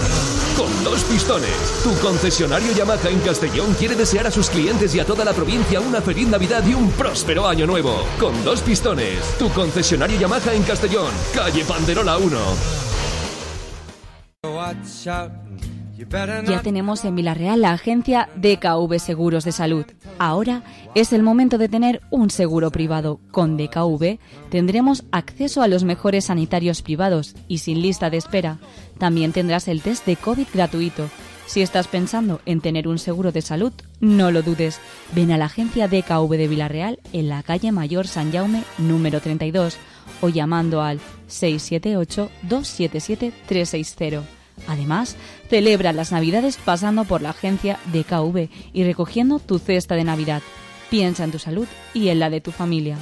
Con Dos Pistones, tu concesionario Yamaha en Castellón quiere desear a sus clientes y a toda la provincia una feliz Navidad y un próspero año nuevo. Con Dos Pistones, tu concesionario Yamaha en Castellón, calle Panderola uno. Ya tenemos en Villarreal la agencia D K V Seguros de Salud. Ahora es el momento de tener un seguro privado. Con D K V tendremos acceso a los mejores sanitarios privados y sin lista de espera. También tendrás el test de COVID gratuito. Si estás pensando en tener un seguro de salud, no lo dudes. Ven a la agencia D K V de Villarreal en la calle Mayor San Jaume número treinta y dos o llamando al seis siete ocho, dos siete siete, tres seis cero. Además, celebra las Navidades pasando por la agencia D K V y recogiendo tu cesta de Navidad. Piensa en tu salud y en la de tu familia.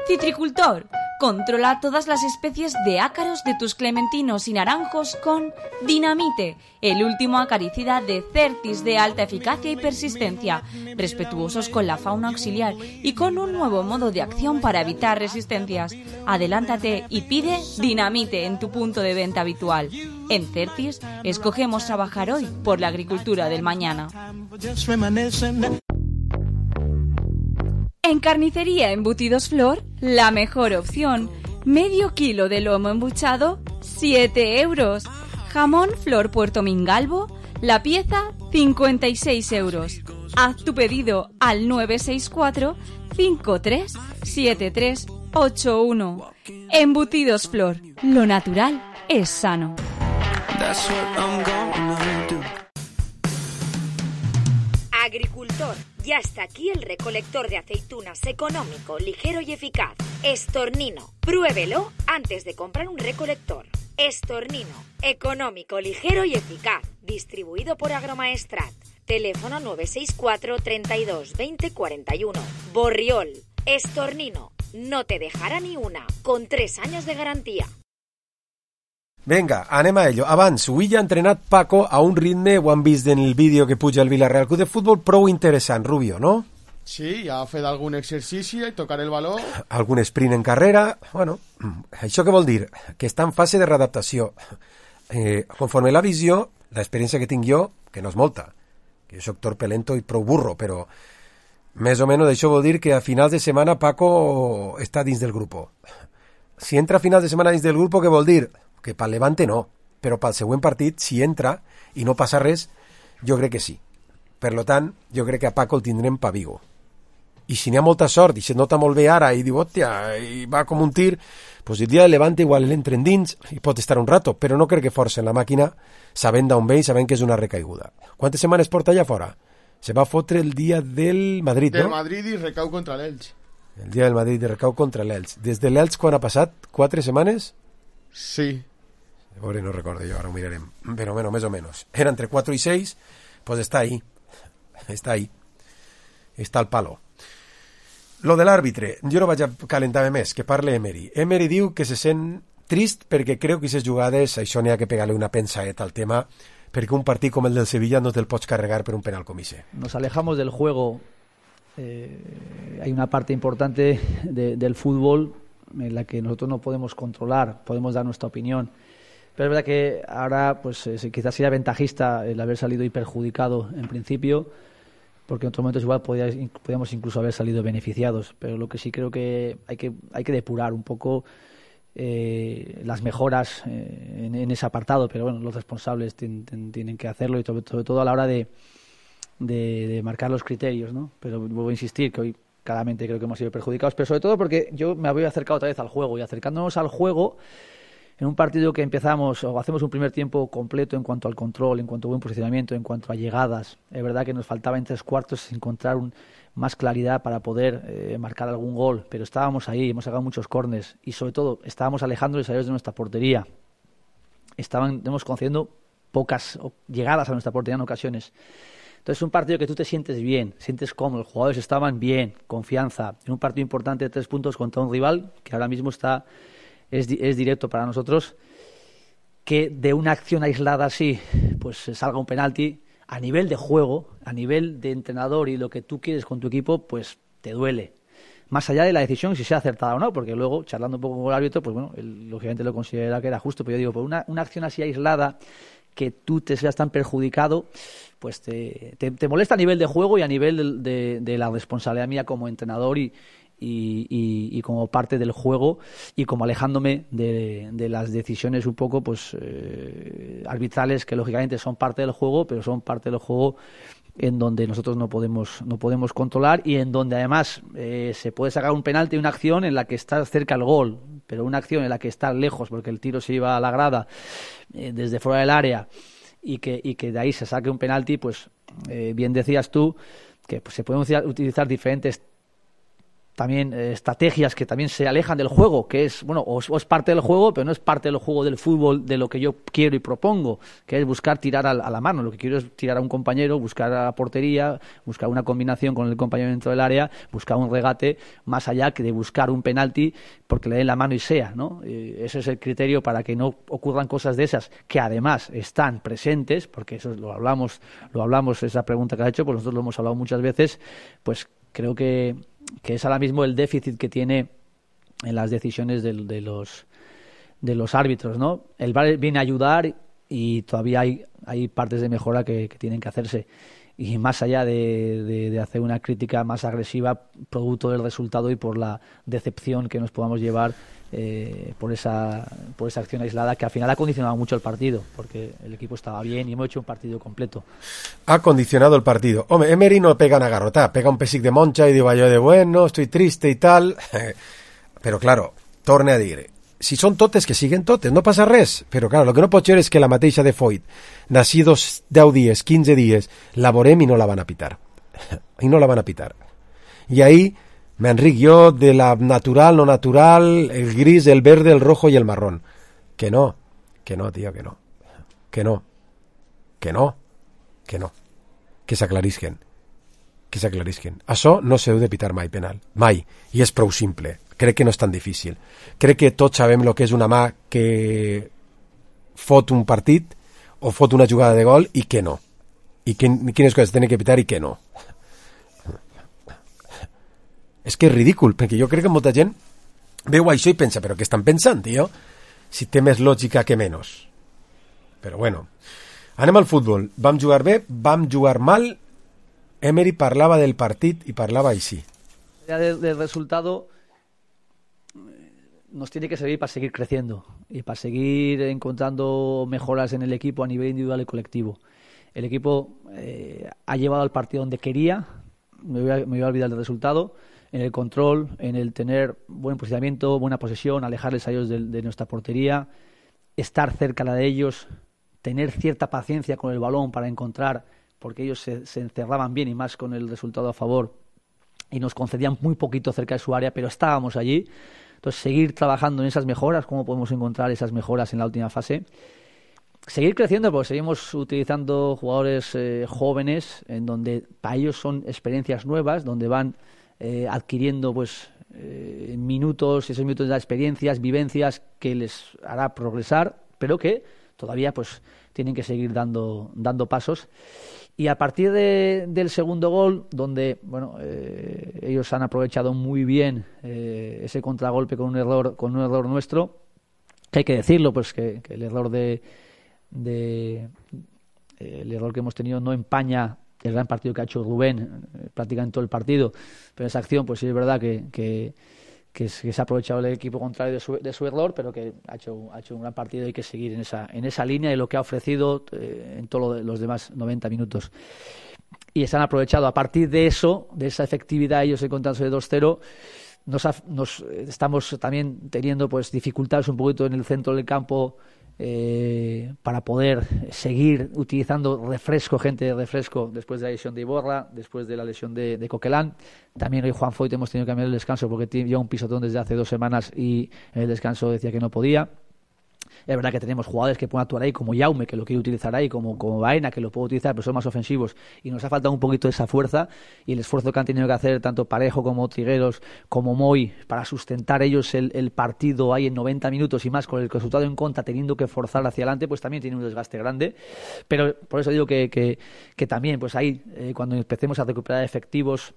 Citricultor, controla todas las especies de ácaros de tus clementinos y naranjos con Dinamite, el último acaricida de Certis de alta eficacia y persistencia, respetuosos con la fauna auxiliar y con un nuevo modo de acción para evitar resistencias. Adelántate y pide Dinamite en tu punto de venta habitual. En Certis, escogemos trabajar hoy por la agricultura del mañana. En Carnicería Embutidos Flor, la mejor opción. Medio kilo de lomo embuchado, siete euros. Jamón Flor Puerto Mingalvo, la pieza, cincuenta y seis euros. Haz tu pedido al nueve seis cuatro, cinco tres, siete tres ocho uno. Embutidos Flor, lo natural es sano. Agricultor, ya está aquí el recolector de aceitunas económico, ligero y eficaz. Estornino, pruébelo antes de comprar un recolector. Estornino, económico, ligero y eficaz. Distribuido por Agromaestrat. Teléfono nueve seis cuatro, treinta y dos, veinte, cuarenta y uno. Borriol, Estornino, no te dejará ni una, con tres años de garantía. Vinga, anem a ello. Abans, avui ja ha entrenat Paco a un ritme, ho han vist en el vídeo que puja el Villarreal Club de Futbol, prou interessant, Rubio, no? Sí, ja ha fet algun exercici i tocar el baló. Algun sprint en carrera. Bueno, això què vol dir? Que està en fase de readaptació. Eh, conforme la visió, l'experiència que tinc jo, que no és molta, que jo soc torpe, lento i prou burro, però més o menys això vol dir que a finals de setmana Paco està dins del grup. Si entra a finals de setmana dins del grup, què vol dir? Que pel Levante no, però pel següent partit, si entra i no passa res, jo crec que sí. Per lo tant, jo crec que a Paco el tindrem pa Vigo. I si n'hi ha molta sort i se nota molt bé ara i diu, hòstia, i va com un tir, pues el dia de Levante igual l'entren dins i pot estar un rato, però no crec que forcen la màquina sabent d'on ve i sabent que és una recaiguda. Quantes setmanes porta allà fora? Se va fotre el dia del Madrid, del no? Del Madrid i recau contra l'Elx. El dia del Madrid i recau contra l'Elx. Des de l'Elx quan ha passat? Quatre setmanes? Sí. Pobre, no recordo yo, ahora lo mirarem. Pero bueno, más o menos. Era entre cuatro y seis, pues está ahí. Está ahí. Està al palo. Lo de l'àrbitre, jo no vaig a calentar-me més, que parle Emery. Emery diu que se sent trist perquè creu que aquestes jugades, això n'hi ha que pegar-li una pensaeta al tema, perquè un partit com el del Sevilla no te'l pots carregar per un penal com ese. Nos alejamos del juego. Eh, hay una parte importante de, del fútbol en la que nosotros no podemos controlar, podemos dar nuestra opinión. Pero es verdad que ahora pues eh, quizás sería ventajista el haber salido hiperjudicado en principio, porque en otros momentos igual podía, podíamos incluso haber salido beneficiados. Pero lo que sí creo que hay que, hay que depurar un poco eh, las mejoras eh, en, en ese apartado, pero bueno, los responsables tienen, tienen que hacerlo y sobre, sobre todo a la hora de, de, de marcar los criterios, ¿no? Pero vuelvo a insistir que hoy claramente creo que hemos sido perjudicados, pero sobre todo porque yo me había acercado otra vez al juego, y acercándonos al juego en un partido que empezamos o hacemos un primer tiempo completo en cuanto al control, en cuanto a buen posicionamiento, en cuanto a llegadas. Es verdad que nos faltaba en tres cuartos encontrar un, más claridad para poder eh, marcar algún gol, pero estábamos ahí, hemos sacado muchos córners y sobre todo estábamos alejando los de nuestra portería. Estaban, estamos concediendo pocas llegadas a nuestra portería en ocasiones. Entonces es un partido que tú te sientes bien, sientes cómodo, los jugadores estaban bien, confianza. En un partido importante de tres puntos contra un rival que ahora mismo está es, es directo para nosotros, que de una acción aislada así pues salga un penalti a nivel de juego, a nivel de entrenador y lo que tú quieres con tu equipo, pues te duele. Más allá de la decisión, si sea acertada o no, porque luego, charlando un poco con el árbitro, pues bueno, él lógicamente lo considera que era justo, pero yo digo, por una, una acción así aislada, que tú te seas tan perjudicado, pues te, te, te molesta a nivel de juego y a nivel de, de, de la responsabilidad mía como entrenador y, y, y, y como parte del juego y como alejándome de, de las decisiones un poco pues eh, arbitrales que lógicamente son parte del juego, pero son parte del juego en donde nosotros no podemos no podemos controlar y en donde además eh, se puede sacar un penalti, una acción en la que estás cerca al gol, pero una acción en la que estás lejos porque el tiro se iba a la grada eh, desde fuera del área y que y que de ahí se saque un penalti, pues eh, bien decías tú que pues, se pueden utilizar diferentes también eh, estrategias que también se alejan del juego, que es, bueno, o, o es parte del juego, pero no es parte del juego del fútbol de lo que yo quiero y propongo, que es buscar tirar a, a la mano. Lo que quiero es tirar a un compañero, buscar a la portería, buscar una combinación con el compañero dentro del área, buscar un regate, más allá que de buscar un penalti porque le den la mano y sea, ¿no? Eh, ese es el criterio para que no ocurran cosas de esas, que además están presentes, porque eso lo hablamos, lo hablamos, esa pregunta que has hecho, pues nosotros lo hemos hablado muchas veces, pues creo que que es ahora mismo el déficit que tiene en las decisiones de, de los de los árbitros, ¿no? El V A R viene a ayudar y todavía hay, hay partes de mejora que, que tienen que hacerse. y más allá de, de, de hacer una crítica más agresiva producto del resultado y por la decepción que nos podamos llevar eh, por esa por esa acción aislada que al final ha condicionado mucho el partido, porque el equipo estaba bien y hemos hecho un partido completo. Ha condicionado el partido. Hombre, Emery no pega una garrota, pega un pesic de moncha y digo yo de bueno, estoy triste y tal, però claro, torne a dir, si són totes, que siguen totes, no passa res, però claro, el que no pot ser és que la mateixa de Foyt, d'ací dos, deu dies, quinze dies, la veurem i no la van a pitar. I no la van a pitar. I ahí me enric jo de la natural, no natural, el gris, el verde, el rojo y el marrón. Que no, que no, tío, que no. Que no, que no, que no. Que s'aclarisquen. Que s'aclarisquen. Això no s'heu de pitar mai penal. Mai. I és prou simple. Crec que no és tan difícil. Crec que tots sabem el que és una mà que fot un partit o fot una jugada de gol i que no. I que, quines coses tenen que pitar i que no. És que és ridícul, perquè jo crec que molta gent veu això i pensa, però què estan pensant, tio? Si té més lògica que menys. Però bueno, anem al futbol. Vam jugar bé, vam jugar mal. Emery parlava del partit i parlava així. Del, del resultado nos tiene que servir para seguir creciendo y para seguir encontrando mejoras en el equipo a nivel individual y colectivo. El equipo eh, ha llevado al partido donde quería, me voy, a, me voy a olvidar del resultado, en el control, en el tener buen posicionamiento, buena posesión, alejarles a ellos de, de nuestra portería, estar cerca de ellos, tener cierta paciencia con el balón para encontrar, porque ellos se, se encerraban bien y más con el resultado a favor y nos concedían muy poquito cerca de su área, pero estábamos allí. Entonces, seguir trabajando en esas mejoras, cómo podemos encontrar esas mejoras en la última fase. Seguir creciendo, porque seguimos utilizando jugadores eh, jóvenes, en donde para ellos son experiencias nuevas, donde van eh, adquiriendo pues eh, minutos, esos minutos de experiencias, vivencias que les hará progresar, pero que todavía pues tienen que seguir dando, dando pasos. Y a partir de, del segundo gol, donde bueno eh, ellos han aprovechado muy bien eh, ese contragolpe con un error con un error nuestro, que hay que decirlo, pues que, que el error de, de eh, el error que hemos tenido no empaña el gran partido que ha hecho Rubén eh, prácticamente todo el partido, pero esa acción pues sí es verdad que, que Que, es, que se ha aprovechado el equipo contrario de su, de su error, pero que ha hecho, ha hecho un gran partido y hay que seguir en esa, en esa línea y lo que ha ofrecido eh, en todos lo los demás noventa minutos. Y se han aprovechado a partir de eso, de esa efectividad, ellos encontrándose de dos cero, nos, ha, nos estamos también teniendo pues dificultades un poquito en el centro del campo eh, para poder seguir utilizando refresco, gente de refresco, después de la lesión de Iborra, después de la lesión de, de Coquelin. También hoy Juan Foyt hemos tenido que cambiar el descanso porque lleva un pisotón desde hace dos semanas y en el descanso decía que no podía. Es verdad que tenemos jugadores que pueden actuar ahí, como Jaume, que lo quiere utilizar ahí, como, como Baena, que lo puede utilizar, pero son más ofensivos, y nos ha faltado un poquito de esa fuerza, y el esfuerzo que han tenido que hacer tanto Parejo como Trigueros, como Moy, para sustentar ellos el, el partido ahí en noventa minutos y más, con el resultado en contra, teniendo que forzar hacia adelante, pues también tiene un desgaste grande. Pero por eso digo que, que, que también, pues ahí, eh, cuando empecemos a recuperar efectivos,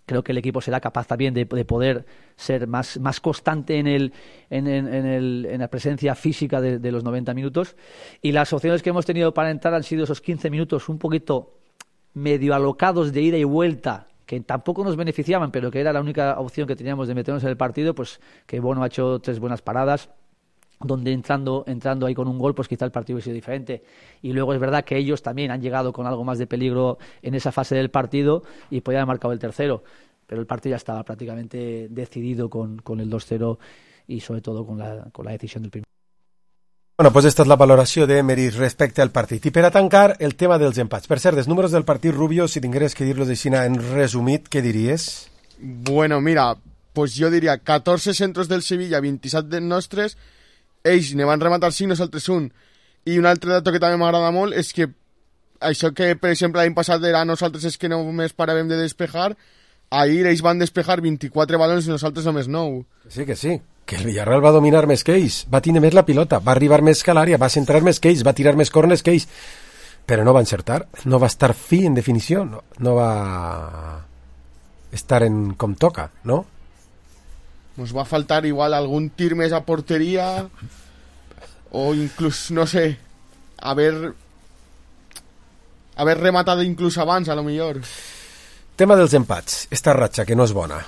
creo que el equipo será capaz también de, de poder ser más, más constante en, el, en, en, en, el, en la presencia física de, de los noventa minutos. Y las opciones que hemos tenido para entrar han sido esos quince minutos un poquito medio alocados de ida y vuelta, que tampoco nos beneficiaban, pero que era la única opción que teníamos de meternos en el partido, pues que Bono ha hecho tres buenas paradas, donde entrando entrando ahí con un gol, pues quizá el partido hubiese sido diferente. Y luego es verdad que ellos también han llegado con algo más de peligro en esa fase del partido y podían haber marcado el tercero, pero el partido ya estaba prácticamente decidido con, con el dos cero y sobre todo con la, con la decisión del primer. Bueno, pues esta és la valoració d'Emery respecte al partit. I per a tancar, el tema dels empats. Per cert, els números del partit, Rubio, si tingueres que dir-los així en resumit, què diries? Bueno, mira, pues jo diria catorze centros del Sevilla, vint-i-set dels nostres. Ells ne van rematar cinc, nosaltres un. I un altre dato que també m'agrada molt és que això que, per exemple, l'any passat era nosaltres és que només paràvem de despejar, ahir ells van despejar vint-i-quatre balons i nosaltres només nou. Sí, que sí, que el Villarreal va dominar més que ells, va tenir més la pilota, va arribar més que a l'àrea, va centrar més que ells, va tirar més corners que ells, però no va encertar, no va estar fi en definició, no, no va estar en com toca, no? Nos va a faltar igual algún tir més a portería o incluso, no sé, haber haver rematat inclús abans, a lo millor. Tema dels empats, esta ratxa que no és bona.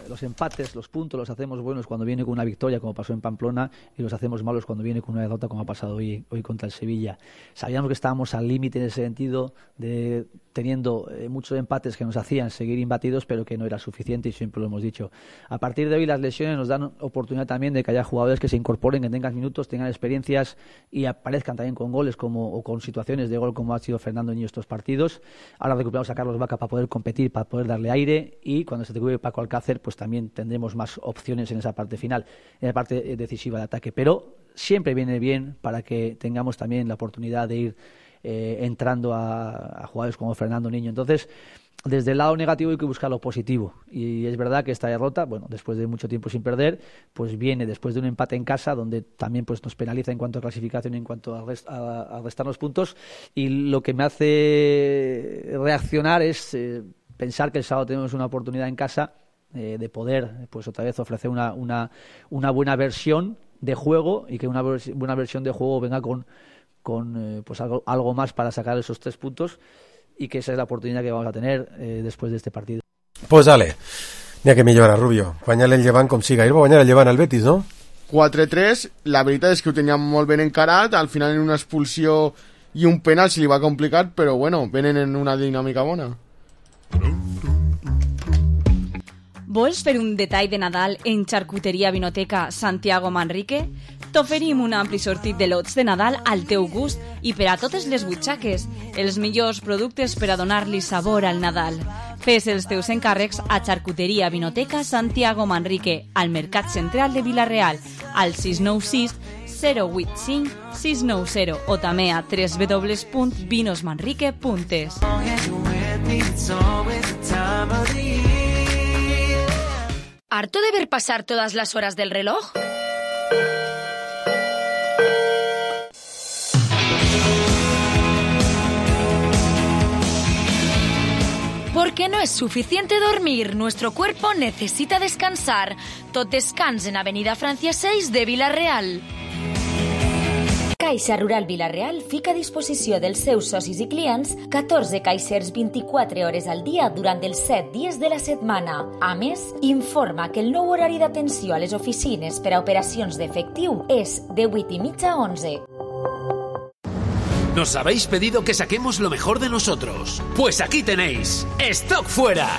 Los empates, los puntos los hacemos buenos cuando viene con una victoria, como pasó en Pamplona, y los hacemos malos cuando viene con una derrota, como ha pasado hoy, hoy contra el Sevilla. Sabíamos que estábamos al límite en ese sentido, de teniendo eh, muchos empates que nos hacían seguir imbatidos, pero que no era suficiente, y siempre lo hemos dicho. A partir de hoy las lesiones nos dan oportunidad también de que haya jugadores que se incorporen, que tengan minutos, tengan experiencias y aparezcan también con goles como, o con situaciones de gol como ha sido Fernando Niño estos partidos. Ahora recuperamos a Carlos Vaca para poder competir, para poder darle aire, y cuando se recupere Paco Alcácer, pues también tendremos más opciones en esa parte final, en la parte decisiva de ataque. Pero siempre viene bien para que tengamos también la oportunidad de ir eh, entrando a, a jugadores como Fernando Niño. Entonces, desde el lado negativo hay que buscar lo positivo. Y es verdad que esta derrota, bueno, después de mucho tiempo sin perder, pues viene después de un empate en casa, donde también pues nos penaliza en cuanto a clasificación, en cuanto a, rest, a, a restarnos puntos. Y lo que me hace reaccionar es eh, pensar que el sábado tenemos una oportunidad en casa eh, de poder, pues otra vez ofrecer una, una, una buena versión de juego, y que una buena versión de juego venga con, con eh, pues algo, algo más para sacar esos tres puntos, y que esa es la oportunidad que vamos a tener eh, después de este partido. Pues dale, n'hi ha que millorar, Rubio. Guanyar el Llevant com siga. Ahir va guanyar el Llevant al Betis, no? quatre tres, la veritat és que ho teníem molt ben encarat, al final en una expulsió i un penal se li va complicar, però bueno, venen en una dinàmica bona. Vols fer un detall de Nadal en Charcuteria Vinoteca Santiago Manrique? T'oferim un ampli sortit de lots de Nadal al teu gust i per a totes les butxaques, els millors productes per a donar-li sabor al Nadal. Fes els teus encàrrecs a Charcuteria Vinoteca Santiago Manrique, al Mercat Central de Vila-real, al sis nou sis zero vuit cinc sis nou zero o també a w w w punt vinos manrique punt es. ¿Harto de ver pasar todas las horas del reloj? Porque no es suficiente dormir, nuestro cuerpo necesita descansar. Tot descans en Avenida Francia seis de Vila-real. Caixa Rural Vila-real fica a disposició dels seus socis i clients catorze caixers vint-i-quatre hores al dia durant els set dies de la setmana. A més, informa que el nou horari d'atenció a les oficines per a operacions d'efectiu és de vuit i mitja a onze. Nos habéis pedido que saquemos lo mejor de nosotros. Pues aquí tenéis, ¡Stock Fuera!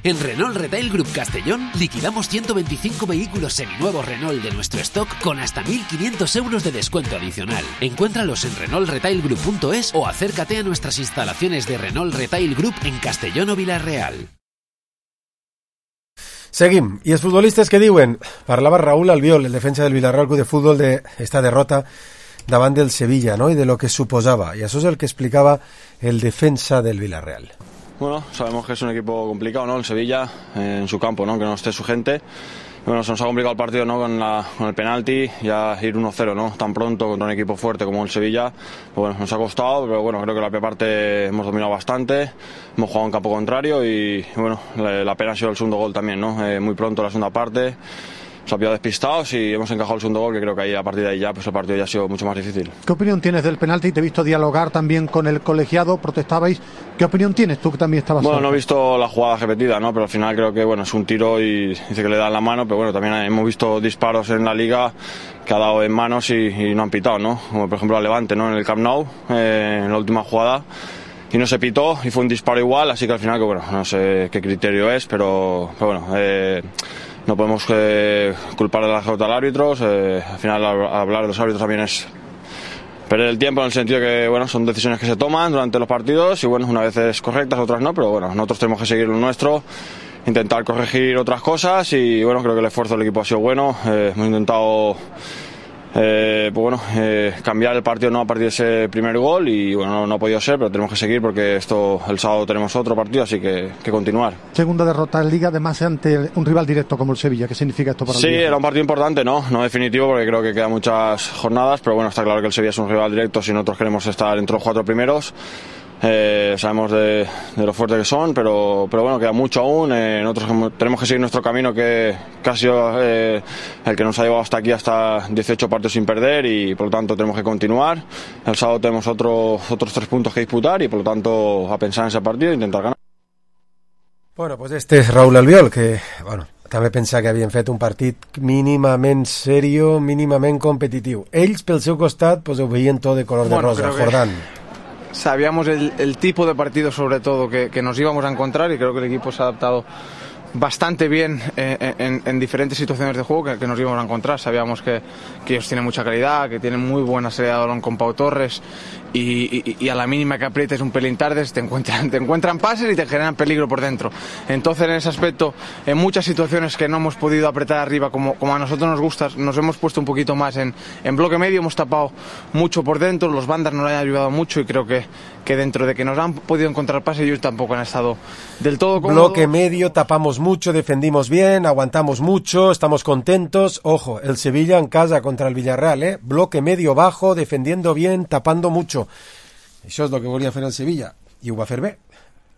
En Renault Retail Group Castellón liquidamos ciento veinticinco vehículos seminuevos Renault de nuestro stock con hasta mil quinientos euros de descuento adicional. Encuéntralos en renault retail group punto es o acércate a nuestras instalaciones de Renault Retail Group en Castellón o Vila-real. Seguim. I els futbolistes que diuen? Parlava Raúl Albiol, el defensa del Villarreal Club de Fútbol, de esta derrota davant del Sevilla, ¿no? Y de lo que suposaba. Y eso es el que explicaba el defensa del Villarreal. Bueno, sabemos que es un equipo complicado, ¿no? El Sevilla, eh, en su campo, ¿no? Que no esté su gente. Bueno, se nos ha complicado el partido, ¿no? Con, la, con el penalti, ya ir uno cero, ¿no? Tan pronto contra un equipo fuerte como el Sevilla. Pues bueno, nos ha costado, pero bueno, creo que la primera parte hemos dominado bastante. Hemos jugado en campo contrario y, bueno, la, la pena ha sido el segundo gol también, ¿no? Eh, muy pronto la segunda parte. Nos ha pillado despistados y hemos encajado el segundo gol, que creo que ahí a partir de ahí ya pues el partido ya ha sido mucho más difícil. ¿Qué opinión tienes del penalti? Te he visto dialogar también con el colegiado, protestabais. ¿Qué opinión tienes tú, que también estabas? Bueno, no he visto la jugada repetida, ¿no? Pero al final creo que bueno, es un tiro y dice que le dan la mano, pero bueno, también hemos visto disparos en la liga que ha dado en manos y, y no han pitado, ¿no? Como por ejemplo a Levante, ¿no? En el Camp Nou, eh, en la última jugada. Y no se pitó y fue un disparo igual, así que al final que bueno, no sé qué criterio es, pero, pero bueno, eh, no podemos eh, culpar de la derrota al árbitro. Eh, al final hablar de los árbitros también es perder el tiempo, en el sentido que bueno, son decisiones que se toman durante los partidos y bueno, unas veces correctas, otras no, pero bueno, nosotros tenemos que seguir lo nuestro, intentar corregir otras cosas y bueno, creo que el esfuerzo del equipo ha sido bueno. Eh, hemos intentado Eh, pues bueno, eh, cambiar el partido no a partir de ese primer gol y bueno, no, no ha podido ser, pero tenemos que seguir porque esto el sábado tenemos otro partido, así que, que continuar. Segunda derrota en Liga, además ante un rival directo como el Sevilla. ¿Qué significa esto para el Sí, Liga? era un partido importante, ¿no? No definitivo porque creo que quedan muchas jornadas, pero bueno, está claro que el Sevilla es un rival directo si nosotros queremos estar entre los cuatro primeros. Eh, sabemos de, de lo fuerte que son, pero, pero bueno, queda mucho aún. Eh, nosotros tenemos que seguir nuestro camino, que casi eh, el que nos ha llevado hasta aquí, hasta dieciocho partidos sin perder, y por lo tanto tenemos que continuar. El sábado tenemos otro, otros tres puntos que disputar y por lo tanto a pensar en ese partido e intentar ganar. Bueno, pues este és Raúl Albiol, que, bueno, també pensava que havien fet un partit mínimament serio, mínimament competitiu. Ells, pel seu costat, pues ho veien tot de color bueno, de rosa. Jordán. Sabíamos el, el tipo de partido, sobre todo, que, que nos íbamos a encontrar, y creo que el equipo se ha adaptado bastante bien eh, en, en diferentes situaciones de juego que, que nos íbamos a encontrar. Sabíamos que, que ellos tienen mucha calidad, que tienen muy buena salida de balón con Pau Torres, y, y, y a la mínima que aprietes un pelín tarde te encuentran, te encuentran pases y te generan peligro por dentro. Entonces, en ese aspecto, en muchas situaciones que no hemos podido apretar arriba como, como a nosotros nos gusta, nos hemos puesto un poquito más en, en bloque medio, hemos tapado mucho por dentro, los bandas nos han ayudado mucho, y creo que, que dentro de que nos han podido encontrar pases, ellos tampoco han estado del todo cómodos. Bloque medio, tapamos mucho, defendimos bien, aguantamos mucho, estamos contentos. Ojo, el Sevilla en casa contra el Villarreal, ¿eh? Bloque medio bajo, defendiendo bien, tapando mucho. Això és el que volia fer el Sevilla, i ho va fer bé.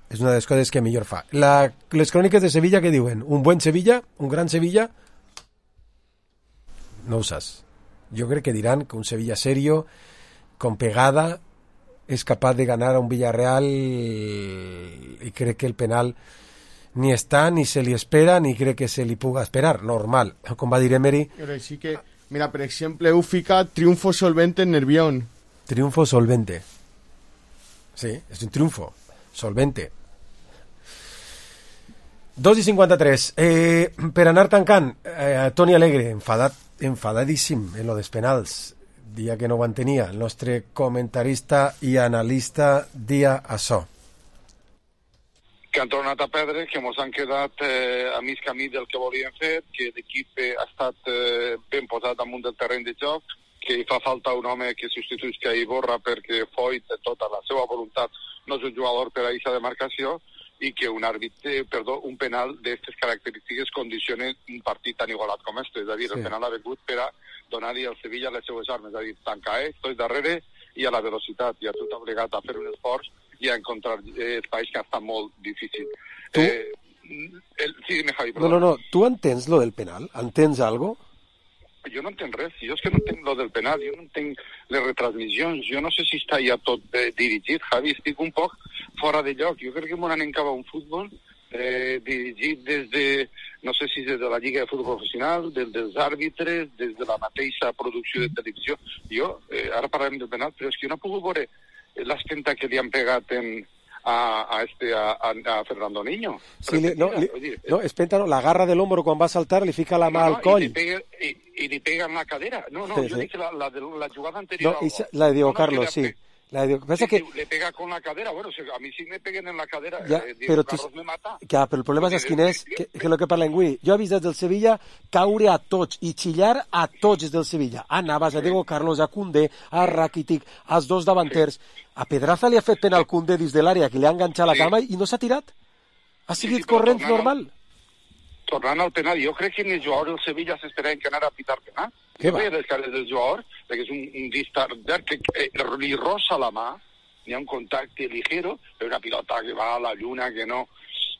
És una de les coses que millor fa. La, les cròniques de Sevilla, què diuen? Un buen Sevilla? Un gran Sevilla? No ho saps. Jo crec que diran que un Sevilla serio, con pegada, és capaç de ganar a un Villarreal, i crec que el penal ni està, ni se li espera, ni crec que se li puga esperar. Normal, com va dir Emery. Però sí que, mira, per exemple, heu ficat triunfo solvente en Nervión. Triunfo solvente. Sí, és un triunfo solvente. dos i cinquanta-tres. Eh, per anar tancant, eh, Toni Alegre, enfadat, enfadadíssim en lo dels penals, dia que no ho entenia. El nostre comentarista i analista dia açò. Que han tornat a perdre, que ens han quedat eh, a mig camí del que volien fer, que l'equip ha estat eh, ben posat damunt del terreny de joc, que hi fa falta un home que substituïsca Iborra perquè Foyt, de tota la seva voluntat, no és un jugador per a aquesta demarcació, i que un àrbitre, perdó, un penal d'aquestes característiques condiciona un partit tan igualat com este. És a dir, sí. El penal ha vingut per a donar-li al Sevilla les seues armes, és a dir, tancar, eh, estoy darrere, i a la velocitat, i a tot obligat a fer un esforç i a encontrar eh, espais que està molt difícil. Tu? Eh, el, sí, dime, Javi, no, no, no, tu entens lo del penal? Entens algo? Jo no entenc res, jo és que no entenc lo del penal, jo no entenc les retransmissions, jo no sé si està ja tot eh, dirigit, Javi, estic un poc fora de lloc, jo crec que m'han encava un futbol eh, dirigit des de, no sé si des de la Lliga de Futbol Professional, des dels àrbitres, des de la mateixa producció de televisió. Jo, eh, ara parlarem del penal, però és que jo no he pogut veure l'estenta que li han pegat en... A, a este a, a Fernando Niño. Sí, li, no, li, no, espenta, no, la garra del hombro quan va a saltar, li fica la mà no, no, al coll. I li, pega, i, i li pega en la cadera. No, no, sí, jo sí. dic la, la, de, la jugada anterior. No, esa, la de Diego no, Carlos, no, sí. La de, pasa sí, que le pega con la cadera, bueno, a mí sí me peguen en la cadera, ja, eh, Diego però Carlos tu, me mata. Ja, però el problema és quin és, que, que el que parla en Gui. Jo he vist des del Sevilla caure a tots i xillar a tots des del Sevilla. A Navas, a Diego Carlos, a Koundé, a Rakitic, als dos davanters. A Pedraza li ha fet pena al Koundé dins de l'àrea, que li ha enganxat la cama i no s'ha tirat. Ha seguit sí, sí, corrent normal. Tornant al penal, jo crec que ni els jugadors del Sevilla s'esperaven que anara a pitar penal. Què va? Jo veia les cares del jugador, perquè és un, un distardar que eh, li rosa la mà, hi ha un contacte ligero, però una pilota que va a la lluna, que no...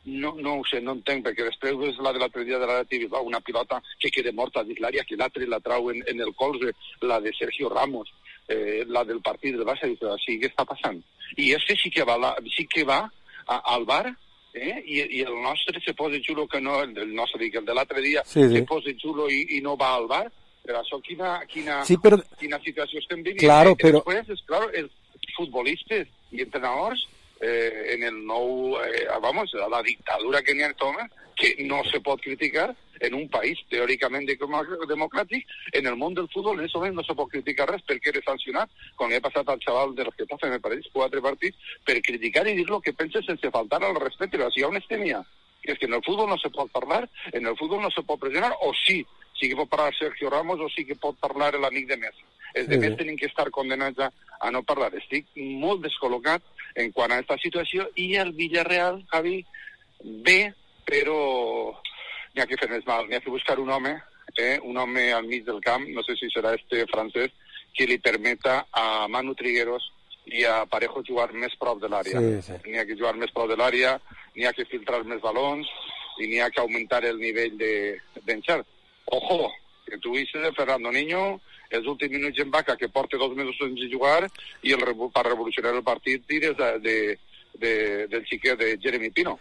No, no ho sé, no entenc, perquè després és la de l'altre dia de la T V, una pilota que queda morta dins l'àrea, que l'altre la trau en, en el colze, la de Sergio Ramos, eh, la del partit del Barça, i dius, sí, què està passant? I este sí que va, la, sí que va a, al bar, eh, i, i el nostre se posa xulo que no, el, el nostre, dic, el de l'altre dia, sí, sí. se posa xulo i, i no va al bar, però això quina, quina, sí, però... quina situació estem vivint. Claro, eh, però... Després, és clar, els futbolistes i entrenadors Eh, en el nou, eh, vamos, la dictadura que n'hi ha en Toma, que no se pot criticar en un país teòricament democràtic. En el món del futbol en aquest moment no se pot criticar res perquè era sancionat, com li ha passat al xaval del Getafe, me pareix, quatre partits, per criticar i dir lo que pensa sense faltar al respecte. Però si hi ha una estemia, que és que en el futbol no se pot parlar, en el futbol no se pot pressionar, o sí, sí que pot parlar Sergio Ramos o sí que pot parlar l'amic de Messi. Els de més tenen que estar condenats a, a no parlar. Estic molt descol·locat en quant a aquesta situació, i el Villarreal, Javi, bé, però n'hi ha que fer més mal, n'hi ha que buscar un home, eh, un home al mig del camp, no sé si serà este francès, que li permeta a Manu Trigueros i a Parejo jugar més prop de l'àrea. Sí, sí. N'hi ha que jugar més prop de l'àrea, n'hi ha que filtrar més balons i n'hi ha que augmentar el nivell d'encert. De, Ojo, que tu dices de Fernando Niño, els últims minuts en vaca, que porta dos mesos sense jugar, i el, per revolucionar el partit tires de, de, de, del xiquet de Jeremy Pino,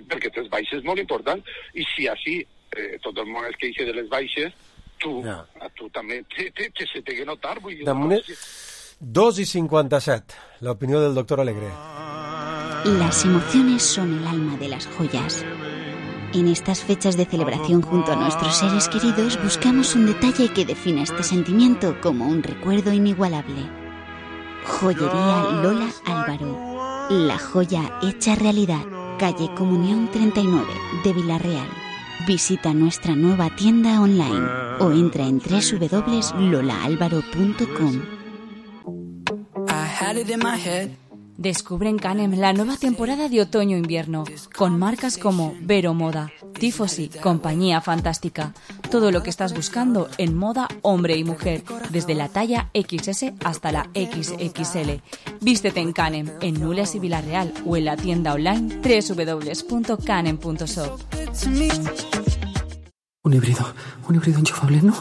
perquè tens baixes molt importants, i si així eh, tot el món es queixa de les baixes, tu, no. a tu també te, te, te se te que notar. Vull dir, no, dos y cincuenta y siete, la opinión del doctor Alegre. Las emociones son el alma de las joyas. En estas fechas de celebración junto a nuestros seres queridos buscamos un detalle que defina este sentimiento como un recuerdo inigualable. Joyería Lola Álvaro. La joya hecha realidad. Calle Comunión treinta y nueve de Villarreal. Visita nuestra nueva tienda online o entra en doble u doble u doble u punto lola álvaro punto com. Descubre en Canem la nueva temporada de otoño-invierno, con marcas como Vero Moda, Tifosi, Compañía Fantástica. Todo lo que estás buscando en moda hombre y mujer, desde la talla equis ese hasta la equis equis ele. Vístete en Canem, en Nules y Villarreal, o en la tienda online doble u doble u doble u punto canem punto shop. Un híbrido, un híbrido enchufable, no,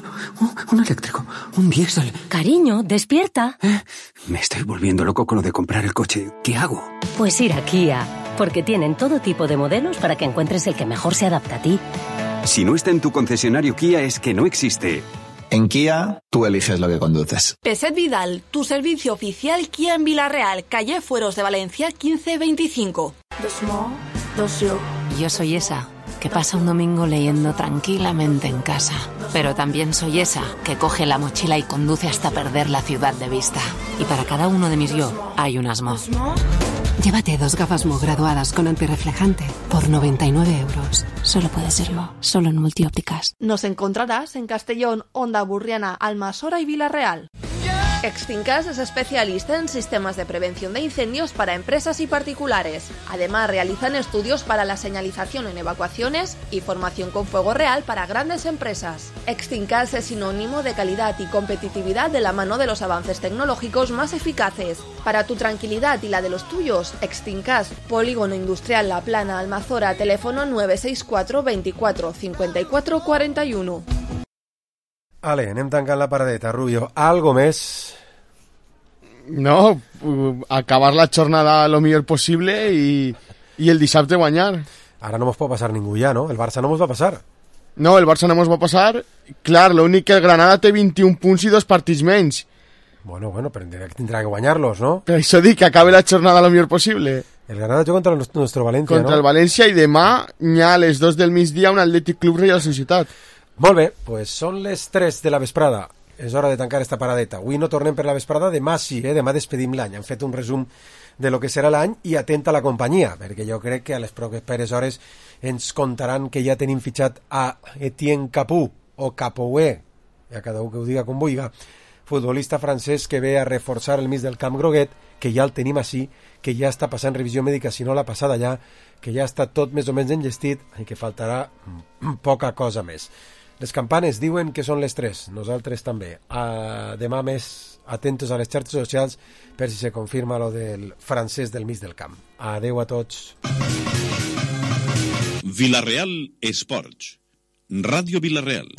un eléctrico, un diésel. Cariño, despierta. ¿Eh? Me estoy volviendo loco con lo de comprar el coche. ¿Qué hago? Pues ir a Kia, porque tienen todo tipo de modelos para que encuentres el que mejor se adapta a ti. Si no está en tu concesionario Kia es que no existe. En Kia, tú eliges lo que conduces. Peset Vidal, tu servicio oficial Kia en Villarreal, calle Fueros de Valencia quince veinticinco. Yo soy esa que pasa un domingo leyendo tranquilamente en casa. Pero también soy esa que coge la mochila y conduce hasta perder la ciudad de vista. Y para cada uno de mis yo hay un Asmo. Llévate dos gafas Mo graduadas con antirreflejante por noventa y nueve euros. Solo puede serlo, solo en Multiópticas. Nos encontrarás en Castellón, Onda Burriana, Almasora y Villarreal. Extincas es especialista en sistemas de prevención de incendios para empresas y particulares. Además, realizan estudios para la señalización en evacuaciones y formación con fuego real para grandes empresas. Extincas es sinónimo de calidad y competitividad de la mano de los avances tecnológicos más eficaces. Para tu tranquilidad y la de los tuyos, Extincas, Polígono Industrial La Plana, Almazora, teléfono nueve seis cuatro veinticuatro cincuenta y cuatro cuarenta y uno. Ale, anem tancant la paradeta, Rubio. Algo més? No, acabar la jornada lo millor possible i, i el dissabte guanyar. Ara no mos pot passar ningú ja, no? El Barça no mos va passar. No, el Barça no mos va passar. Clar, l'únic que el Granada té vint-i-un punts i dos partits menys. Bueno, bueno, però tindrà que guanyar-los, no? Per això dic que acabe la jornada lo millor possible. El Granada juga contra el nostre València, contra no? Contra el València, i demà hi ha a les dos del migdia un Atlètic Club Reial Societat. Molt bé, pues són les tres de la vesprada. És hora de tancar esta paradeta. Avui no tornem per la vesprada, demà sí, eh? Demà despedim l'any. Han fet un resum de lo que serà l'any i atenta a la companyia, perquè jo crec que a les properes hores ens contaran que ja tenim fitxat a Etienne Capou, o Capoué, ja cada un que ho diga com vulga, futbolista francès que ve a reforçar el mig del camp groguet, que ja el tenim així, que ja està passant revisió mèdica, si no l'ha passada ja, que ja està tot més o menys enllestit i que faltarà poca cosa més. Les campanes diuen que són les tres, nosaltres també. Uh, demà més atentos a les xarxes socials per si se confirma lo del francès del mig del camp. Adeu a tots. Villarreal Esports. Ràdio Villarreal.